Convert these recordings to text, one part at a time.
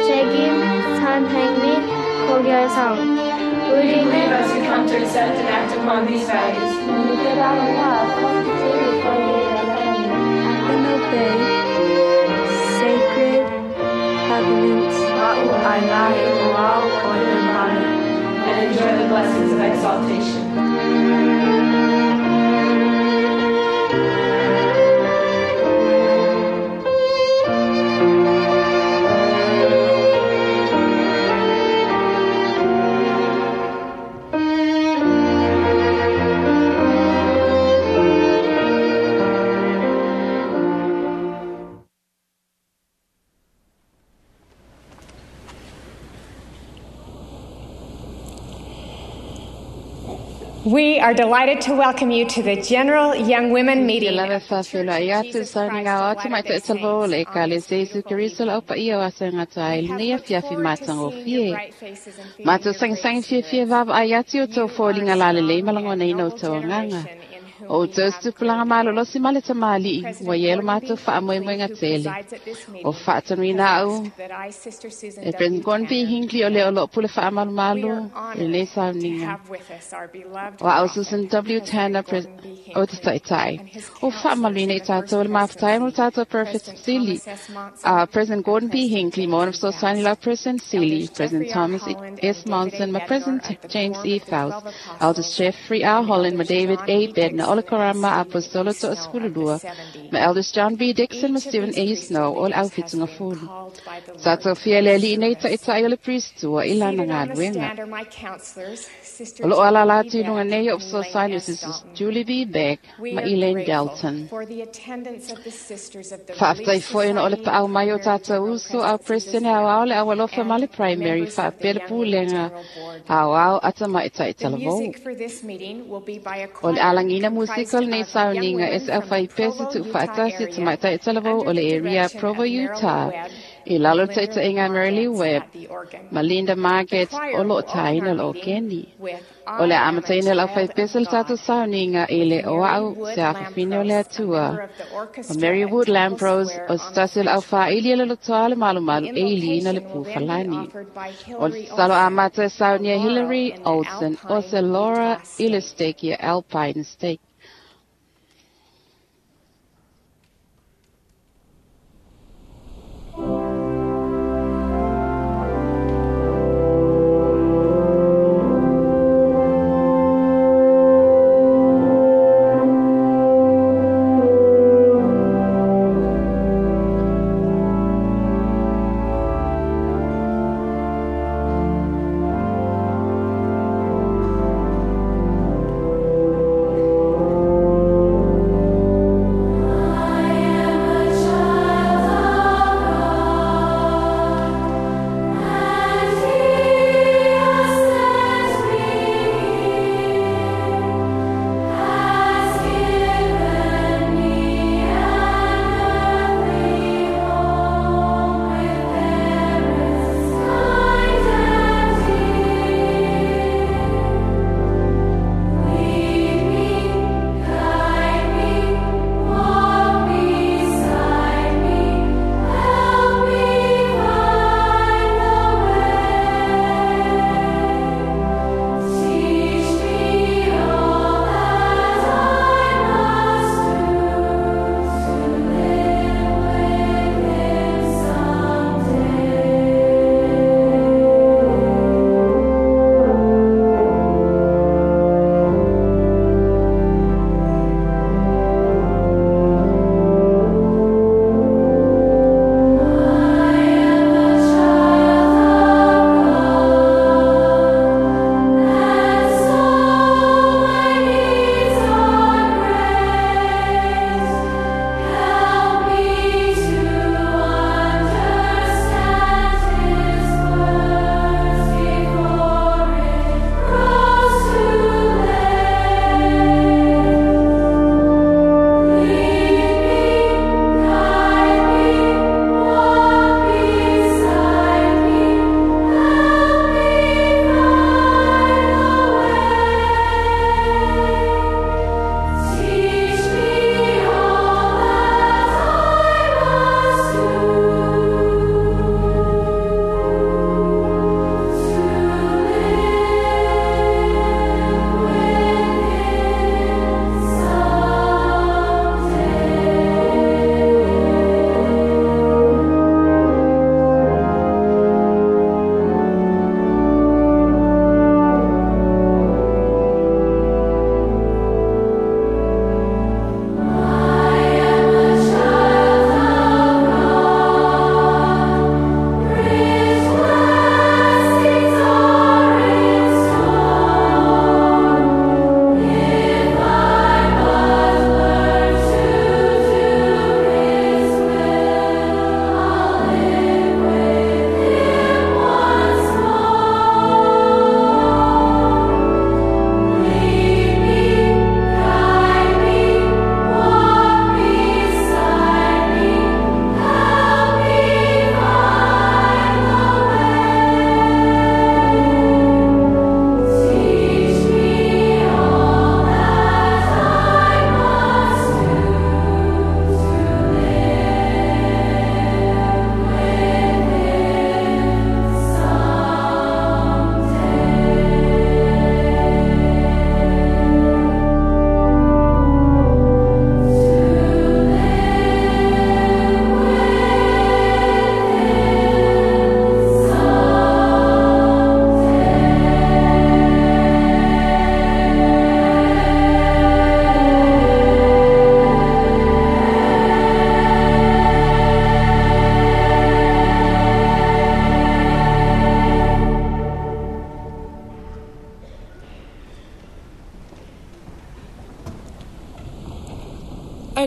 책임, 선행 및 고결성. 우리는 Us who come to accept and act upon these values. And obey sacred covenants. And enjoy the blessings of exaltation. We are delighted to welcome you to the General Young Women Meeting. Lava of the Church fa'afeiloai of atu Jesus sauniga Christ o of atu mai Latter-day taʻitalava o le Saints on ekalesia this Iesu beautiful Keriso evening. lau paia o asagata ai We have lenei looked afiafi forward to seeing your matagofie. bright faces and feeling Matou your great sagisagi fiafia spirits. vaavaai atu o tou You are a foliga lalelei strong ma and lagonaina o noble tou agaga. generation in whom O we outou have se tupulaga great hope. malolosi ma le tamalii, ua President ia le Gordon B. matou Hinckley, faamoemoega who tele. presides at this O meeting, faatanuina has au asked that I, Sister Susan e W. President Gordon B. Tanner, Hinckley o le o loo pule We faamalumalu are i honored lenei to sauniga. have with us our beloved O au prophet, Susan W. Tanner President Gordon B. o te Hinckley, taitai. and his O counselors faamaluina in i the tatou First le mafutai mo le Presidency, tatou Perfect President Sili. Thomas S. Monson President and Gordon B. President Hinckley, ma ona James E. fesoasoani lau Faust, President Seeley, Elders President Jeffrey R. Thomas Holland S. and David A. Monson, ma Bednar President of the James Quorum E. of the Faust, 12 Elders Apostles, Jeffrey R. and Holland, ma Elders David John A. B. Bednar, o le Dixon and Korama Stephen E. Apostolo Snow of the toasefululua, 70. ma Elders John B. Dixon, ma Each of Stephen these A. priesthood Snow, o le leaders has aufitunga been fulu. called by the Sa Lord to tofia le alii nei service. taitai o le priestua i lana Seated on the galuega. stand are my counselors, Sister O loo Julie alala B. atu i luga Beck nei o and Elaine fesoasoani o S. Sisters Dalton. Julie B. Beck We ma are Elaine grateful Dalton. for the attendance of the Sisters of the Relief Faafetai foi ona o le Society, paau mai o Primary tatou General uso au Presidency President au ao le aualofa ma le and Primary members of the faapea le Young Women pulega General Board. ao ao atamaitai The talavou. music for this meeting will be by a O le choir alagina comprised musika o lenei of young sauniga e women se au from the faipese Provo, tuu Utah faatasi area tamaitai talavou under o le the area direction Provo, of Marilyn Utah. Webb I lalo and Linda taitaiga Mary Margetts Webb at the organ. ma Linda The Margetts choir o loo will open taina our loo meeting keni. with O le I Am a amataina lau Child of faipese le tatou God sauniga i with le o Mary au Wood se afafine o le Lampros, a Atua. member of the O orchestra Mary at Wood Temple Lampros Square o on se the tasi o le au French horn. faaili e le lotoa le The malumalu e iliina le invocation will then be pufalani. offered by O le Hillary tatalo Olson, amata e a saunia Laurel Hillary in the Olson o se Alpine, Laura Utah i le Stake. stake ia Alpine Stake. Thank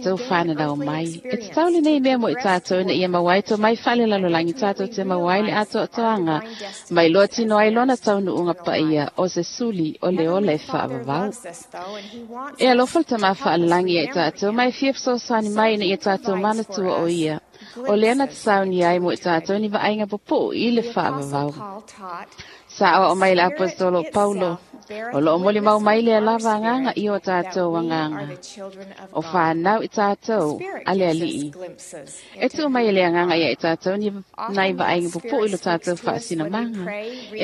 tātou whānanau mai. E te tau lenei mea mo i tātou ina ia maua ai tomai faalelalolagi tātou te maua ai le atoatoaga mai loa tino ai lona taunuuga paia o se suli o le ola e faavavau. E alofa le Tama faalelagi ia i tātou ma e fia fesoasoani mai ina ia tātou manatua o ia o lea na te sauni ai mo i tātou ni vaaiga pupuu i le faavavau. Sa aoao mai le Aposetolo o Paulo, O loo molimau mai lea lava agaga i o tatou agaga, o fanau i tatou a le Alii. E tuu mai e le agaga ia i tatou ni nai vaaiga pupuu i lo tatou faasinamaga.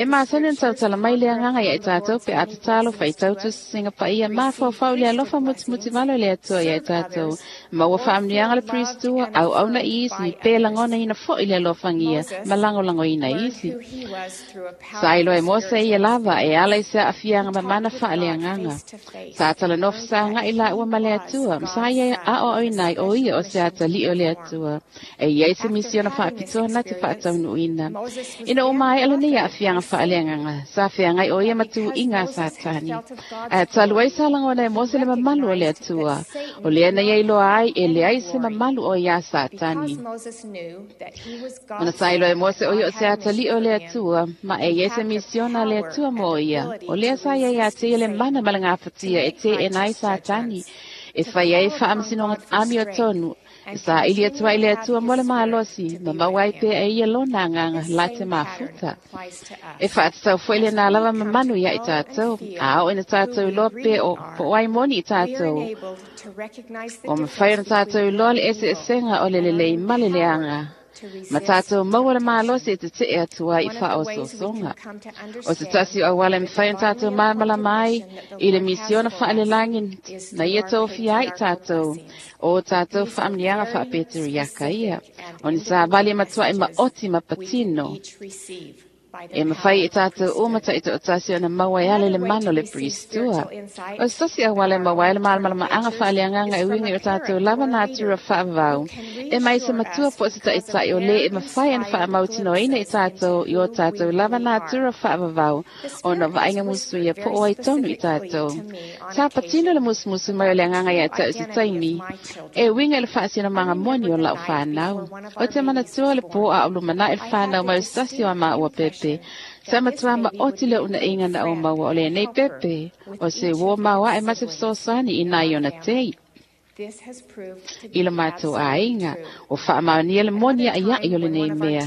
E masani ona tautala mai le agaga ia i tatou pe a tatalo faitau tusisiga paia mafaufau i le alofa mutimutivalo i le Atua ia i tatou. Ma ua faamanuiaga le Pristua, auauna i isi, pe lagonaina foi le alofagia ma lagolagoina isi. Sa iloa e Mose ia lava e ala i se aafiaga mamana faaleagaga. Sa talanoa fesagai laua ma le Atua, ma sa ia aoaoina ai o ia o se atalii o le Atua. E iai se misiona faapitoa na te faataunuuina. Ina ua maea lenei aafiaga faaleagaga, sa feagai o ia ma tuuiga a Satani. Ae talu ai sa lagona e Mose le mamalu o le Atua, o lea na ia iloa ai e leai se mamalu o ia Satani. Ona sa iloa e Mose o ia o se atalii o le Atua, ma e iai se misiona a le Atua mo ia. O lea sa ia ia te ia le mana ma le gafatia e teena ai Satani, e fai ai faamasinoga amiotonu, sa ili atu ai le Atua mo le malosi, ma maua ai pea e ia lona agaga la te mafuta. E faatatau foi lenā lava mamanu ia i tatou, a oo ina tatou iloa pe o po o ai moni i tatou. Ua mafai ona tatou iloa le eseesega o le lelei ma le leaga, ma tatou maua le malosi e tetee atu ai i faaosoosoga. O se tasi o auala e mafai ona tatou malamalama ai i le misiona faalelagi na ia tofia ai i tatou, o tatou faamanuiaga faapeteriaka ia, o ni savali e matuai maoti ma patino, e mafai e tatou uma taitoatasi ona maua e ala i le mana o le Pristua. O se tasi auala e maua ai le malamalamaaga faaleagaga e uiga i o tatou lava natura faavavau, e mai se matua po o se taitai o lē e mafai ona faamautinoaina i tatou i o tatou lava natura faavavau, ona o vaaiga musuia po o ai tonu i tatou. Sa patino le musumusu mai o le agaga ia te au i se taimi, e uiga i le faasinamaga moni o lau fanau. O te manatua le pō a o lumanai le fanau mai o se tasi o a maua pepe. Sa matua maoti le unaiga na o maua o lenei pepe, o se uō maoae ma se fesoasoani i nai ona tei. I le matou aiga, ua faamaonia le moni a'ia'i o lenei mea.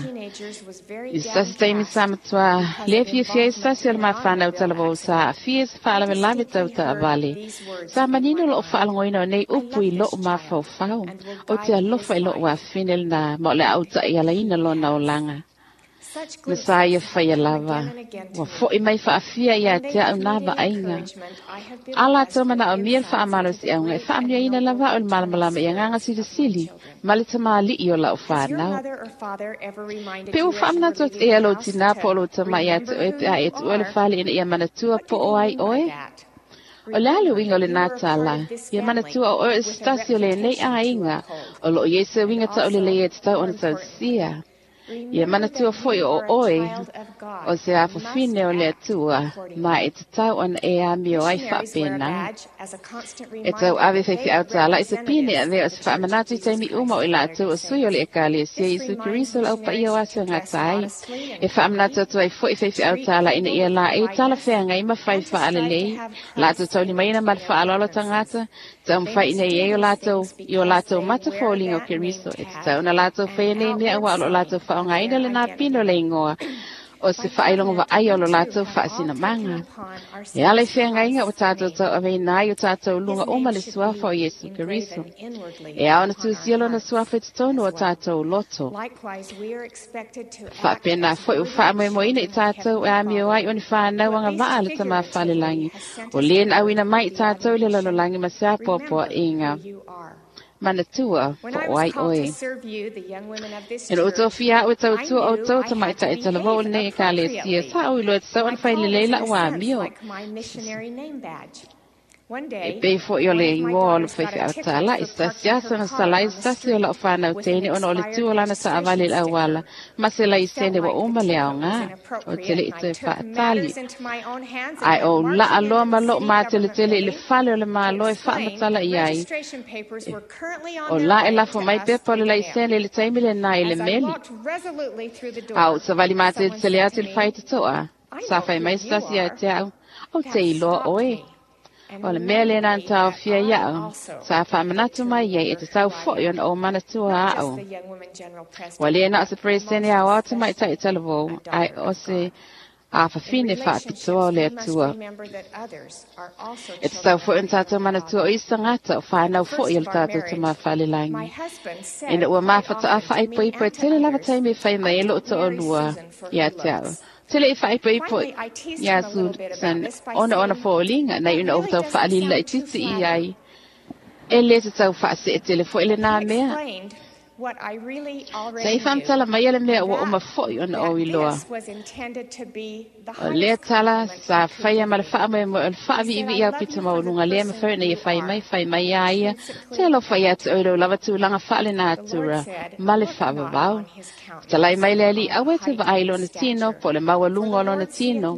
I se tasi taimi sa matua le fiafia ai se tasi o le mafanau talavou sa aafia i se faalavelave tau taavale. Sa manino loo faalogoina o nei upu i loo mafaufau, ou te alofa i loo afafine lenā, ma o le a ou ta'ialaina lona olaga. Ma sa ia faia lava, ua fo'i mai faafia ia te a'u nā vaaiga. A latou manaomia le faamalosi'auga, e faamanuiaina lava a'u i le malamalama i agaga silisili ma le tamalii o la'u fanau. Pe ua faamanatu atu ea lou tinā po o lou tama iā te oe pe a e tuua le fale ina ia manatua po o ai oe? O le a le uiga o lenā tala? Ia manatua o oe o se tasi o lenei aiga, o loo i ai se uiga taulelei e tatau ona tausia. Ia manatua foi o oe o se afafine o le Atua, ma e tatau ona e amio ai faapena. E tauave faifeau tāla'i se pine avea o se faamanatu i taimi uma o i latou o sui o le Ekalesia Iesu Keriso o le Au Paia o Aso e Gata ai. E faamanatu atu ai foi faifeau tāla'i ina ia laei talafeagai ma fai faalelei, latou taulimaina ma le faaaloalo tagata, taumafai ina ia ai o latou i o latou mata foliga o Keriso, e tatau ona latou faia nei mea aua o loo latou faaaogaina lenā pine o le igoa o se faailoga vaaia o lo latou faasinamaga. E ala i feagaiga ua tatou tauaveina ai o tatou luga uma le suafa o Iesu Keriso. E ao ona tusia lona suafa i totonu o tatou loto. Faapena foi ua faamoemoeina i tatou e amio ai o ni fanau agavaa a le Tama Falelagi, o lē na auina mai i tatou i le lalolagi ma se apoapoaiga. Manatua When po I o was ai called to oe. serve you, the young women of this Ina ou church, tofia a'u e I tautua knew outou I had to tamaitai talavou o behave lenei ekalesia, appropriately. sa ou iloa e tatau My ona fai call lelei was in a la'u sense amio. like my missionary name badge. One E day, pei foi o one le of my igoa o le daughters got a faifeau ticket tāla'i, for se parking tasi her aso na car salai on se the tasi o la'u street fanau with an teine ona o le expired tu o lana taavale registration i le auala, sticker. ma se I felt laisene ua like the uma le ticket was aogā, o te inappropriate, le'i and I toe took faatali. matters into my own hands and Ae went ou marching la'a loa into ma the loo city government mateletele i le building fale o le to Malo e explain faamatala that i ai. registration papers were currently O on their la e way lafo to mai us pepa o through le the mail. laisene i le taimi lenā i le As I meli. walked resolutely through the A ou door, savali someone mateletele said atu to i le me, faitotoa, I sa know fai who mai se you tasi ia are. te a'u, ou That te iloa stopped oe. me and O le mea reminded lena na me that taofia I iaʻu, also sa needed faamanatu to mai ai e remember tatau who I foi am. ona ou manatua Not a'u. just the young women general Ua president, lē na o se but peresene most aoao tamaitai especially talavou, a ae daughter o of se God. Afafine faapitoa o le Atua. E tatau foi ona tatou manatua o isi tagata o fanau foi o le tatou Tama Faalelagi. Ina ua mafata'a faaipoipo e tele lava taimi e fai mai ai lo'u to'alua ia te a'u. Te le'i faaipoipo iā Susan ona ona foliga na iu ina ou tau faalili laitiiti i ai. E lē tatau faase'e tele foi lenā mea. Se i faamatala maia le mea ua uma foi ona ou iloa. O lea tala sa faia ma le faamoemoe o le faaviivii aupito maualuga lea e mafai ona ia fai mai, fai mai iā ia, te alofa ia te oe i lou lava tulaga faalenatura ma le faavavau. Fetalai mai le Alii, aua e te vaai i lona tino po o le maualuga o lona tino,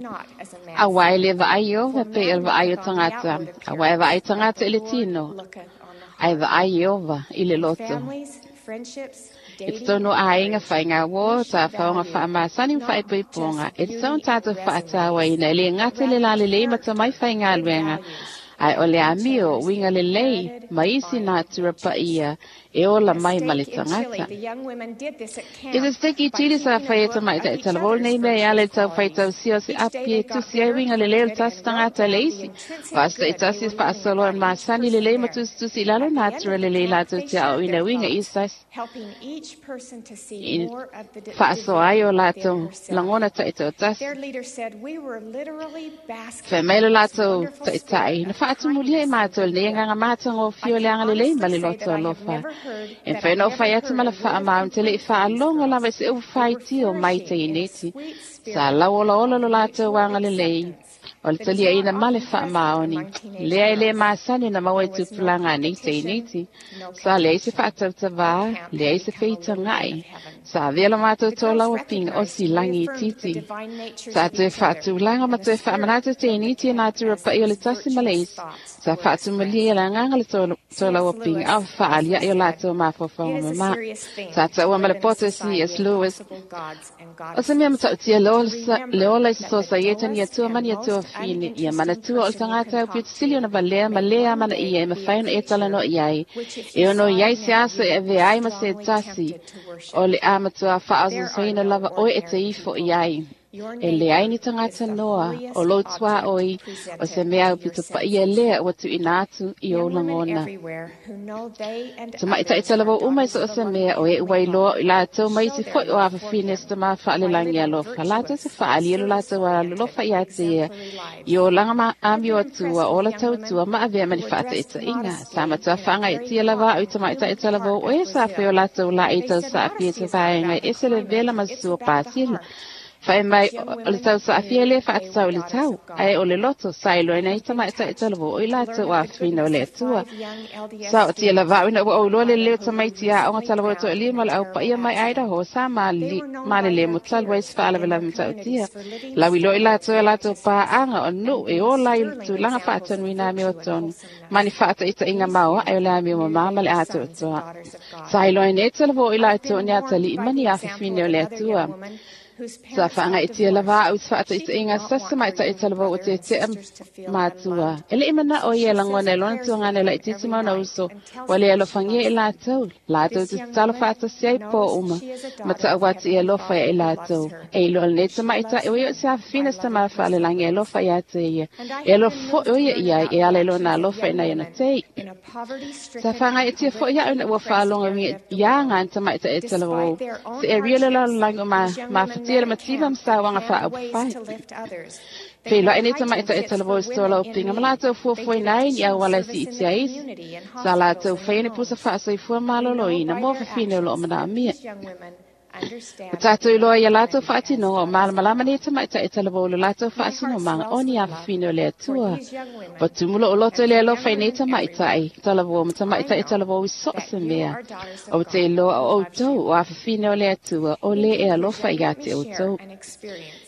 auā e le vaai Ieova pei o le vaai o tagata, auā e vaai tagata i le tino, ae vaai Ieova i le loto. I totonu o aiga, faiga uō, tafaoga faamasani ma faaipoipoga, e tatau ona tatou faatauaina e le gata i le lalelei ma tomai faigaluega, ae o le amio, uiga lelei, ma isi natura paia e ola mai ma le tagata. I se siteki i Chile sa fai e tamaitai talavou lenei mea e ala i le tau faitausia o se api e tusi ai uiga lelei o le tasi tagata i le isi. O aso taitasi e faasolo ai masani lelei ma tusitusi i lalo natura lelei latou te aoaoina uiga i i faasoa ai o latou lagona taitoatasi. Fai mai lo latou taitai, na faatumulia i matou i lenei agaga matagofie o le agalelei ma le loto alofa. E mafai ona ou fai atu ma le faamaoni te le'i faalogo lava i se upu faitio mai teineti. Sa lauolaola lo latou agalelei o le taliaina ma le faamaoni. Lea e lē masani ona maua i tupulaga a nei teineti. Sa leai se faatautavā, leai se feitaga'i. Sa avea lo matou tolauapiga o silagi itiiti. Sa toe faatulaga ma toe faamanatu teineti e natura paia o le tasi ma le isi. Sa faatumulia i le agaga le tolauapiga a o fefaalia'i o latou mafaufauga mamā. Sa taua ma le poto e C.S. Lewis, O se mea matautia le ola i se sosaieta ni atua ma ni atua fine, ia manatua o le tagata e aupito sili ona valea ma lē amanaia e mafai ona e talanoa i ai, e ono i ai se aso e avea ai ma se tasi, o le a matuā faaososoina lava oe e te ifo i ai. E leai ni tagata noa o lou tuaoi o se mea aupito paia lea ua tuuina atu i ou lagona. Tamaitai talavou uma i so o se mea o e ua iloa o i latou ma isi foi o afafine o se tama faalelagi alofa, latou te faaalia lo latou alolofa iā te ia i olaga ma amio atua, ola tautua ma avea ma ni faataitaiga. Sa matua faagaiatia lava a'u i tamaitai talavou o e sa fai o latou laei tausaafia i se vaega e ese le vela ma sua pasila. Fai mai o le tausaafia lē faatatau i le tau, ae o le loto, sa iloaina ai tamaitai talavou o i latou afafine o le Atua. Sa ootia lava a'u ina ua ou iloa le lelei o tamaiti aoga talavou e toalima o le au paia mai Idaho sa malelemo talu ai se faalavelave matautia. Lauiloa i latou e a latou paaga o nuu e ola ai i le tulaga faatonuina amiotonu ma ni faataitaiga maoae o le amio mamā ma le atoatoa. Sa iloaina ai talavou o i latou o ni atalii ma ni afafine o le Atua. Sa faagaitia lava a'u i se faataitaiga se tasi tamaitai talavou ua tetea matua. E le'i mana'o ia e lagona e lona tuagana e laitiiti ma ona uso, ua lē alofagia i latou, latou te tatalo faatasi ai pō uma, ma ta'u atu i alofa ia i latou. E iloa lenei tamaitai o ia o se afafine se tama faalelagi e alofa iā te ia. E alofa fo'i o ia i ai e ala i lona alofa ina ia na tei. Sa faagaiatia fo'i a'u ina ua faalogo iā aga ni tamaitai talavou se area le lalolagi o mafatia le mativa ma sauaga faaupufai. Feiloai nei tamaitai talavou i se tolaupiga ma latou fuafuaina ai ni auala e siitia ai isi. Sa latou faia ni pusa faasoifua maloloina mo fafine o loo manaomia. Ua tatou iloa ia latou faatinoga o malamalama nei tamaitai talavou i lo latou faasinomaga o ni afafine o le Atua. Ua tumu lo'u loto i le alofa i nei tamaitai talavou ma tamaitai talavou i so o se mea. Ou te iloa o outou o afafine o le Atua o lē e alofa iā te outou.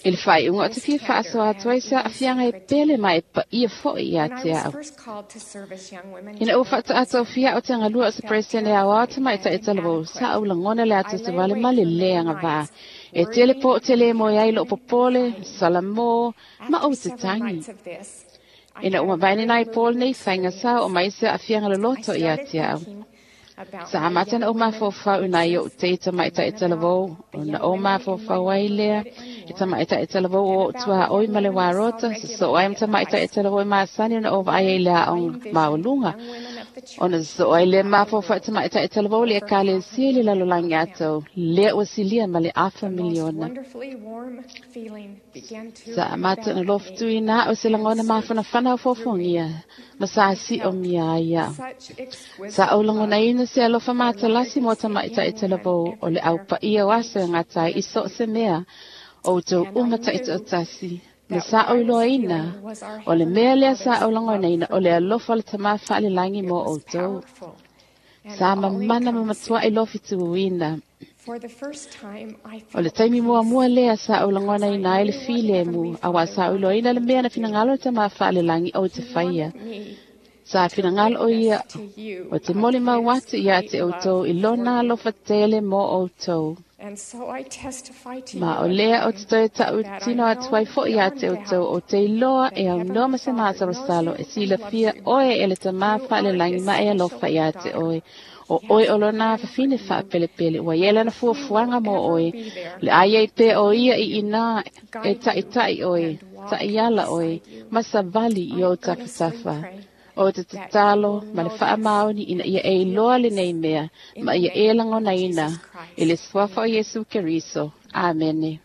I le faaiuga ou te fia faasoa atu ai se aafiaga e pele ma e paia fo'i iā te a'u. Ina ua faataatofia a'u te galue o se Peresetene Aoao Tamaitai Talavou, sa ou lagona le atoatovale ma le lē agavaa. E tele pō ou te lē moe ai lo'u popole, salamō, ma ou te tagi. Ina ua mavae nei pō lenei faiga, sa oo mai se aafiaga loloto iā te a'u. Sa amata ona ou mafaufau i nai o'u teita tamaitai talavou, ona ou mafaufau ai lea I tamaitai talavou o o'o tuaoi ma le Warota, sosoo ai ma tamaitai talavou e masani ona ou vaai ai i le aoga maualuga. Ona sosoo ai lea mafaufau i tamaitai talavou o le ekalesia i le lalolagi atoa, lea ua silia ma le afa miliona. Sa amata ona lofutuina a'u se lagona mafanafana ofofogia ma sa si'omia ai a'u. Sa ou lagonaina se alofa matalasi mo tamaitai talavou o le au paia o aso e gata ai i so o se mea o outou uma ta'itoatasi. Ma sa ou iloaina, o le mea lea sa ou lagonaina o le alofa o le Tamā fa'alelagi mo outou. Sa mamana ma matua'i lofituina. O le taimi muamua lea sa ou lagonaina ai le filemu, auā sa ou iloaina le mea na finagalo le Tamā fa'alelagi ou te faia. Sa finagalo o ia o te molimau atu iā te outou i lona alofa tele mo outou. Ma o lea ou te toe ta'utino atu ai fo'i iā te outou ou te iloa e aunoa ma se masalosalo e silafia oe e le Tamā fa'alelagi ma e alofa iā te oe. O oe o lona fafine fa'apelepele, ua i ai lana fuafuaga mo oe, o le a iai pea o ia i inā e ta'ita'i oe, ta'iala oe, ma savali i ou tafatafa. O te tatalo ma le fa'amaoni ina ia e iloa lenei mea, ma ia e lagonaina i le suafa o Iesu Keriso. Amene.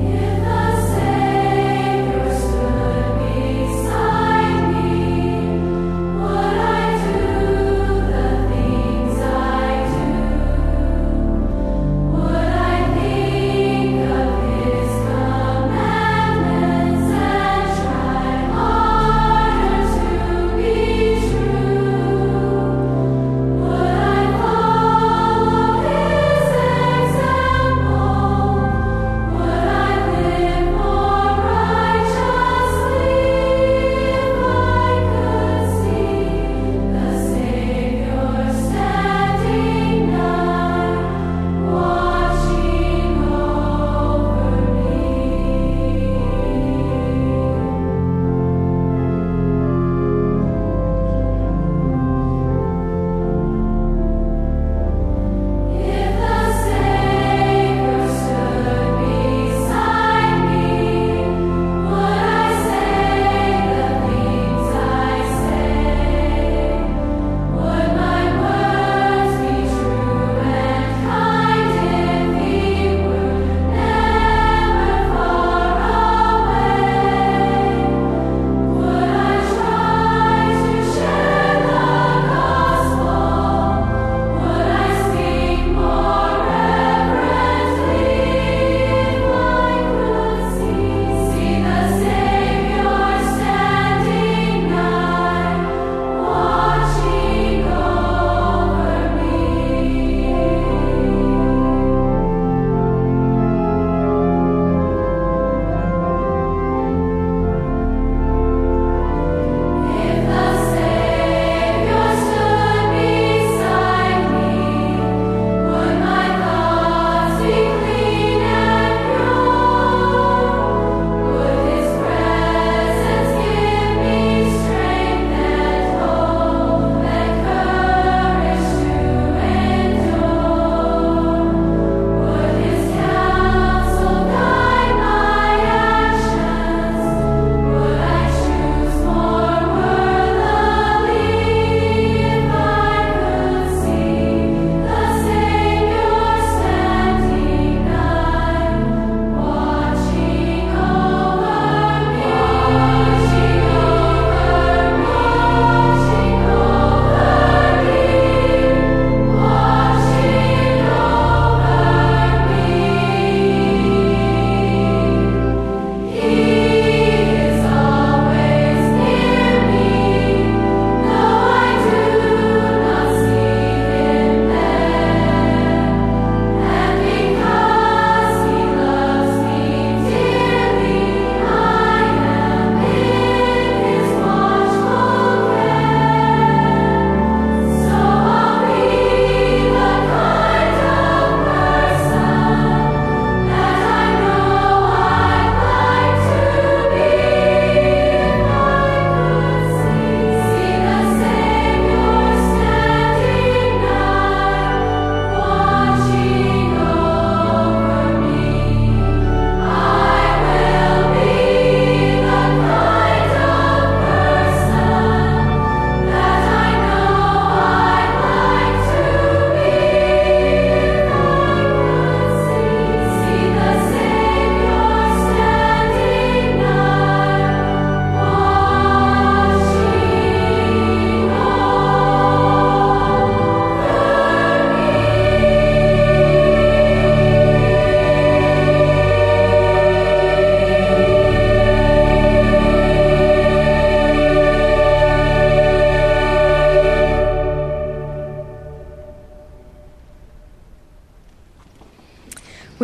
If the Savior stood beside me, would I do the things I do?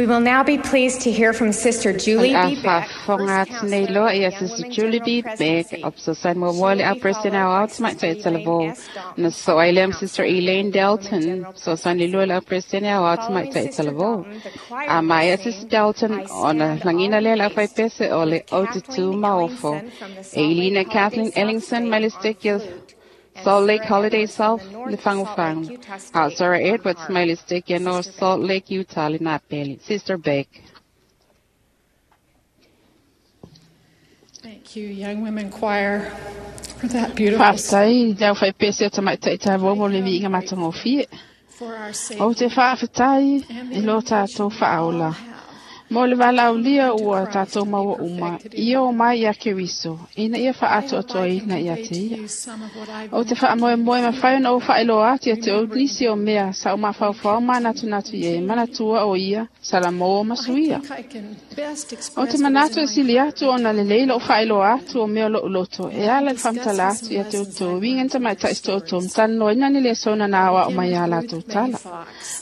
We will now be pleased to hear from Sister Julie B. Beck, faafofoga atu nei loa ia Sister Julie B. Beck, o fesoasoani muamua le au President Aoao Tamaitai Talavou. Na sosoo ai lea ma Sister Elaine Dalton, fesoasoani lua le au President Aoao Tamaitai Talavou. A maea Sister Dalton, ona lagiina lea le au faipese o le Otutu Maofo. E Elina Kathleen Ellingson mai le Stake Salt Lake Holiday South, le Fangufangu. A Sarah Edwards mai le Stake North Salt Lake, Utah, le Napeli. Sister Beck. Thank you, Young Women Choir, for that beautiful Faafetai le au faipese o tamaitai talavou mo le viiga matagofie. for our O Savior te faafetai i lo tātou faaola. Mo le valaulia ua tātou maua uma, ia o mai ia Keriso, ina ia faatoatoaina ia te ia. O te faamoemoe mafai ona ou faailoa atu ia te ou nisi o mea sa o mafaufau manatunatu i e manatua o ia, Salamo ma Suia. I can best O express te manatu e sili atu ona lelei lou faailoa atu o mea o lou loto, e ala i le faamatala atu ia te outou uiga ni tamaitai se toʻatō matalanoaina ni le sona na aoao mai iā latou tala.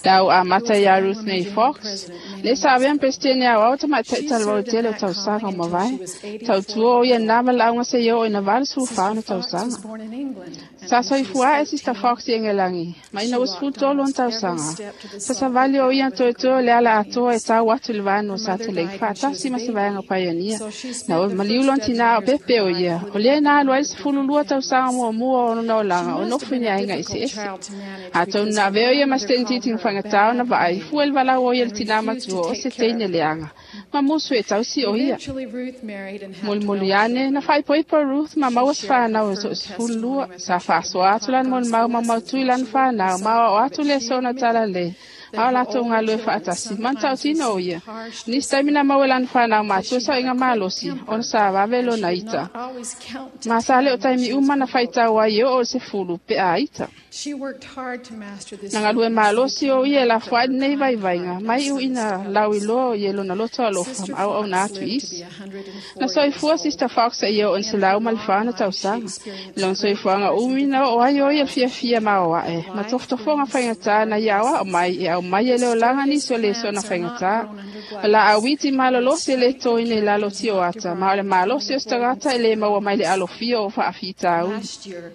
Lau amata iā Ruth May Fox, le sa avea ma Peresetene aoao tamaitai talavou i tele o tausaga o mavae. Tautua o ia na valaauga seia oo ina 84 ona tausaga. born in England. Sa soifua e Sister Fox i Engelangi, ma ina ua 13 ona tausaga. Sa savali o ia toetoe o le ala atoa e tau atu i le vanu o Satelei faatasi ma se vaega paionia. Na o maliu lona tinā o pepe o ia, o lea na alu ai le 12 tausaga muamua o lona olaga o nofo i ni aiga eseese. Atonu na avea o ia ma se teititiga fagatā ona vaai, fua i le valau o ia le tinā matua o se teine leaga, ma musu e tausi o ia. Eventually, Ruth married and had Molimoli ane, na faaipoipo Ruth ma maua se whanau e so 12, sa faasoa atu lana molimau ma mautui lana whanau, ma o atu le sona tala le, a o latou galue faatasi, manutautina o ia. Nisi taimi na maua i lana whanau matua sa inga malosi, ona sa vave lona ita. always count. Ma sa le o taimi uma na faitau ai e oo o le 10 pe a ita. She worked hard to master this. Na galue malosi o ia e lafoai lenei vaivaiga, mai u ina lauiloa o ia lona loto alofa, ma auauna atu i isi. Na soifua Sister Fox e ia o 104 na tausaga. Lona soifuaga umi na oo ai o ia le fiafia ma o ae. Ma tofotofoga faigatā na ia aoao mai e aumai e le olaga nisi o le sona faigatā. O la auiti malolosi e le toina i lalo ti o ata, ma o le malosi o se tagata e le maua mai le alofia o faafitauli. Last year,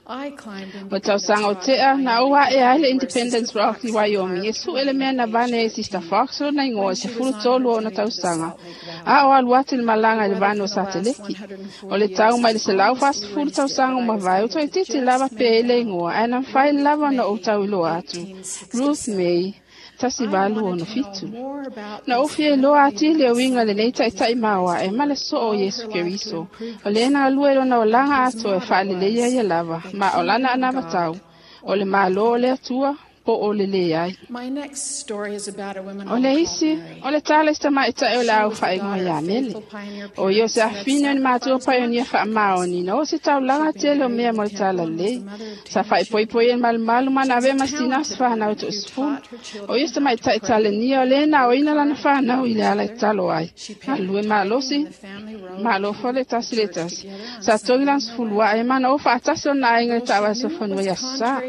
I climbed O tausaga o tea, na ou ae ai le Independence Rock i Wyoming, e sue le mea na vane e Sister Fox o na igoa e 13 ona tausaga. A o alu atu i le malaga i le vanu o Sateleki. O le tau mai le 140 tausaga o mavae, o toeitiiti lava pe e le igoa, ae na mafai lava ona ou tauiloa atu. Ruth May, 1867. Na ou fia iloa atili e uiga lenei taitai maoae ma le soo o Iesu Keriso. O lea na galue i lona olaga atoa e faaleleia ia lava, ma o lana anavatau, o le Malo o le Atua, po o le leai. My next story is about a woman O le isi, o le tala i se tamaitai o le au faaigoa iā Mele. O ia o se afine o ni matua paionia faamaoni, na o se taulaga tele o mea mo le tala lelei. Sa faaipoipo ia le malumalu ma na avea ma se tinā se whanau e 10. O ia se tamaitai talenia o le na oina lana whanau i le ala e talo ai. Galue malosi, malofo le tasi le tasi. Sa togi lana 10 ae ma na o faatasi lona aiga i le taavale sofanua i aso sa.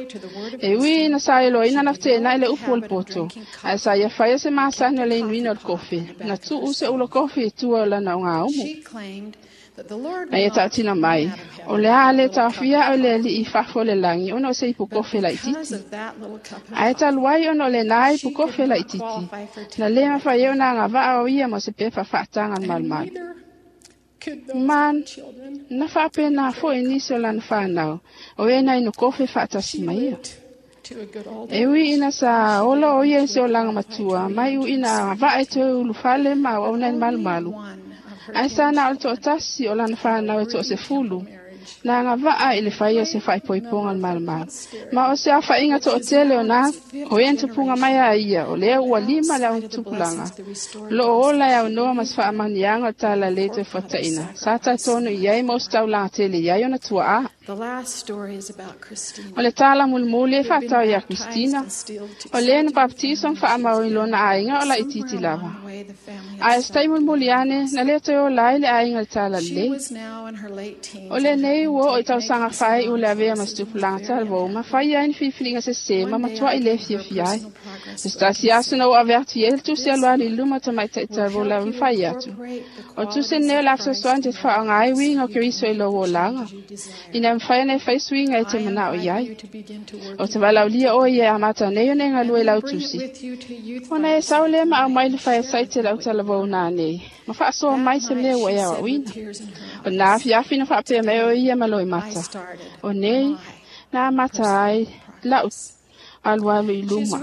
E ui na sa iloaina na fetenai le upu o le poto, ae sa ia faia se masani o le inuina o le kofi. Na tuu se ulo kofi i tua o lana ogaumu. She claimed that the Lord Na ia tautina mai, o le a le taofia o le alii i fafo o le lagi ona o se ipu kofe because laititi. of that little cup of Ae talu ai ona o le nā ipu kofe laititi. Na le mafai e ona agavaa o ia mo se pepa faataga le malumalu. neither could those Ma children. na faapena foi nisi o lana whanau, o e na inu kofe faatasi mai ia. To a good old E ui ina sa ola o ia i se olaga matua, mai ui ina agavaa e toe ulufale ma auauna i le malumalu. Ae sa na o le toatasi o lana whanau e 10, na agavaa i le faia o se faaipoipoga o le malumalu. Ma o se aofaiga toatele o na, o ea na tupuga mai a ia, o lea ua lima le autupulaga. Loo ola e aunoa ma se faamaniaga o le tala lelei toe fuataina. Sa tatonu i ai ma o se taulaga tele i ai ona tuaa. O le tala mulimuli e fa'atau iā Kristina, o lē na bapetiso ma fa'amau i lona aiga o la'itiiti lava. Ae se taimi mulimuli ane na lē toe ola ai le aiga le tala lelei. O lenei ua oo i tausaga fāi'u le avea ma se tupulaga talavou ma faia ai ni filifiliga sesē ma matua'i lē fiafia ai. O se tasi aso na ou ave atu i ai le tusi alualu i luma o tamaita'i talavou lava ma fai atu. O le tusi lenei o le a fesoasoani te fa'aaoga ai uiga o Keriso i lou olaga. Ina mafai ona e fai suiga e te mana'o i ai. O te valaulia oe ia e amata nei ona e galue i lau tusi. Ona e sau lea ma aumai le faesaite lau talavou nanei, ma fa'asoa mai se mea ua e aoa'uina. O lena afiafi na fa'apea mai oe ia ma loimata. O nei, na amata ai la'u alualu i luma.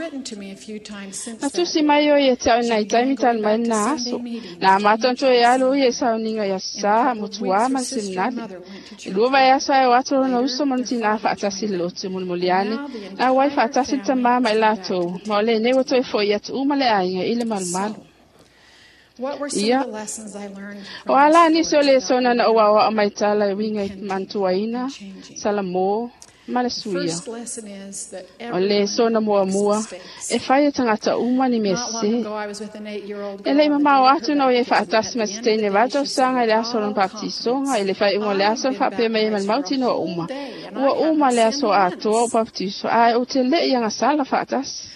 Na tusi mai oe ia te au i nai taimi talu mai lena aso. Na amata ona toe alu ia i sauniga i Aso Sa, Motuā ma le seminari. E 2 vaiaso ae o atu lona uso ma lona tinā fa'atasi i le lotu mulimuli ane, na auai fa'atasi le tamā ma i latou, ma o lenei ua toe fo'i atu uma le aiga i le malumalu. Ia, o a la nisi o lesona na ou aoao mai tala e uiga i manatuaina, Salamo, ma le suia. O le lesona muamua, e fai e tagata uma ni mea sesē. E le'i mamao atu na o iai fa'atasi ma se teine valu tausaga i le aso o lona bapetisoga i le faaiuga o le aso na fa'apea mai ai ma le mautinoa uma. Ua uma le aso atoa o bapetiso, ae ou te le'i agasala fa'atasi.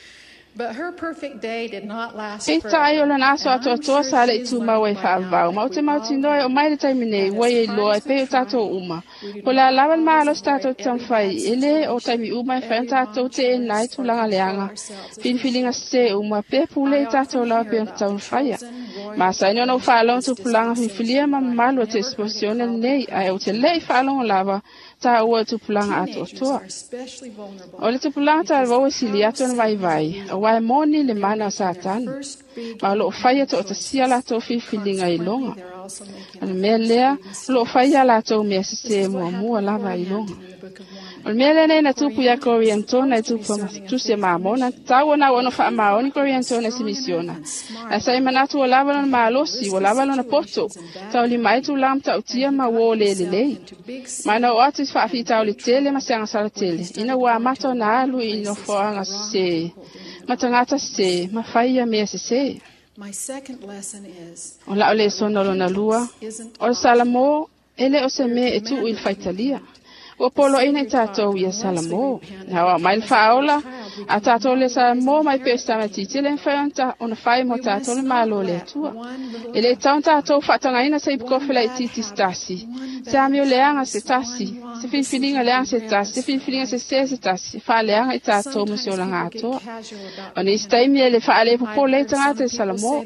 Peitai o lona aso atoatoa sa le'i tumau ai fa'avavau, ma ou te mautinoa e oo mai le taimi nei ua ia iloa e pei o tatou uma. Po o le a lava le malosi tatou te taumafai, e lē o taimi uma e fai ona tatou te'ena ai tulaga leaga, filifiliga sesē uma, pe pule i tatou lava pe ona tatau ona faia. Masani ona ou fa'alogo tupulaga filifilia ma mamalu o te esiposione lenei, ae ou te le'i fa'alogo lava taua o tupulaga atoatoa. O le tupulaga talavou e sili atu ona vaivai, auā e moni le mana o Satani, ma o lo'o faia to'atasia latou filifiliga i loga. O le mea lea, o lo'o faia a latou mea sesē muamua lava i loga. O le mea lenei na tupu iā Koriantona e tupu tusi a Mamona, tatau ona ua ona fa'amaoni Koriantona i se misiona. Ae sa i manatu ua lava lona malosi, ua lava lona poto, taulima ai tulaga mata'utia ma uō lē lelei. Ma na oo atu i se fa'afitauli tele ma se agasala tele, ina ua amata ona alu i nofoaga sesē ma tagata sesē ma fai ia mea sesē. O la'u lesona o lona lua, o le Salamo e lē o se mea e tu'u i le faitalia. Ua polo'aina i tatou ia Salamo. Na aoao mai le fa'aola a tatou le Salamo mai pe o se tamaitiiti e lē mafai ona fai mo tatou le Malo o le Atua. E lē tatau ona tatou fa'atagaina se ipukofe la'itiiti se tasi, se amio leaga se tasi, se filifiliga leaga se tasi, se filifiliga sesē se tasi, e fa'aleaga i tatou ma se olaga atoa. O nisi taimi e le fa'alē popole ai tagata i Salamo.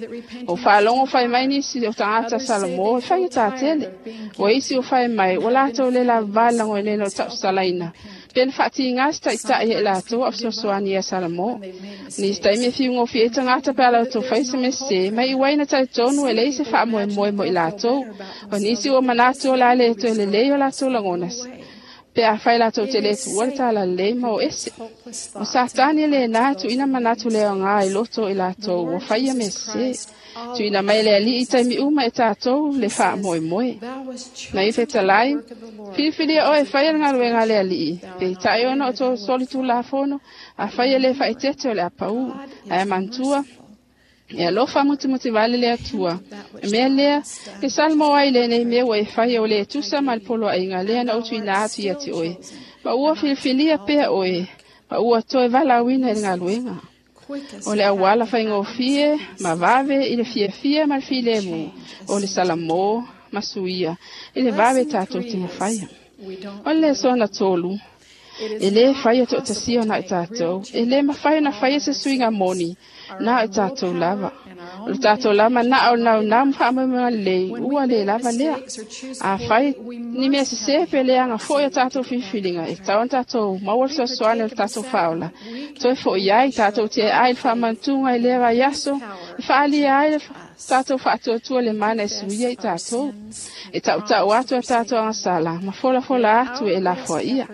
Ua fa'alogo fai mai nisi o tagata Salamo e faigatā tele. Ua isi ua fai mai ua latou lē lavavā le lagoinaina o ta'usalaina pe na fa'atigā se ta'ita'i e latou a'o fesoasoani ia Salamo. Nisi taimi e fiugofi'i ai tagata pe a latou fai se mea sesē, ma iu ai na talitonu e leai se fa'amoemoe mo i latou. O nisi ua manatu o le a lē toe lelei o latou lagona pe afai latou te lē tu'ua le talalelei ma o ese. O Satani e lēnā e tu'uina manatu le aogā i loto i latou ua faia mea sesē. Tu'uina mai e le Ali'i i taimi uma e tatou le fa'amoemoe. Na i fetalai, filifilia oe e faia le galuega a le Ali'i, peita'i ona o tou solitulafono, afai e lē fa'aetete o le a paū, ae manatua, e alofa mutimuti vale le Atua. E mea lea, e salamo ai lenei mea ua e faia o lē tusa ma le poloaiga lea na ou tuuina atu ia te oe. Ma ua filifilia pea oe, ma ua toe valaauina i le galuega. O le auala faigofie ma vave i le fiafia ma le filemu, o le salamo ma suia i le vave tatou te mafaia. O le lesona tolu, e lē faia to'atasia ona i tatou, e lē mafai ona faia se suiga moni na o i tatou lava. O le tatou lava mana'a o le naunau ma fa'amoemoega lelei, ua lē lava lea. Afai ni mea sesē pe leaga fo'i a tatou filifiliga, e tatau ona tatou maua le fesoasoani o le tatou fa'aola. Toe fo'i ai tatou te ai le fa'amanatuga i lea vaiaso, e fa'alia ai le tatou fa'atuatua le mana e suia i tatou. E ta'uta'u atu a tatou agasala, ma folafola atu e lafoaʻia.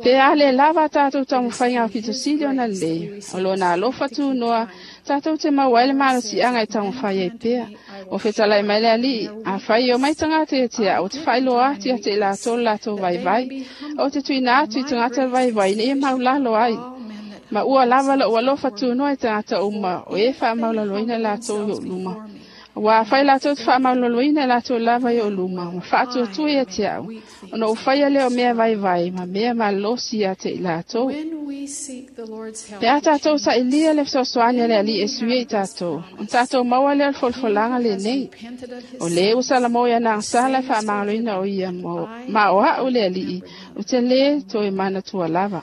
Pe a le lava tātou taumafaiga aupito sili ona lelei. O lona alofa tunoa, tātou te maua ai le malosiaga e taumafai ai pea. O fetalai mai le Alii, afai e omai tagata ia te au, ou te faailoa atu ia te i latou le latou vaivai. Ou te tuuina atu i tagata le vaivai ina ia maulalo ai. Ma ua lava lou alofa tunoa i tagata uma, o e faamaulaloina latou i ou luma. Aua afai latou te faamaulaloina i latou lava i ou luma, ma faatuatua ia te au, ona ou faia lea o mea vaivai ma mea malolosi ia te i latou. Pe a tātou sailia le fesoasoani a le Alii e suia i tātou, ona tātou maua lea o le folafolaga lenei. O lē ua salamo i ana agasala e faamagaloina o ia ma o a'u le Alii, ou te lē toe manatua lava.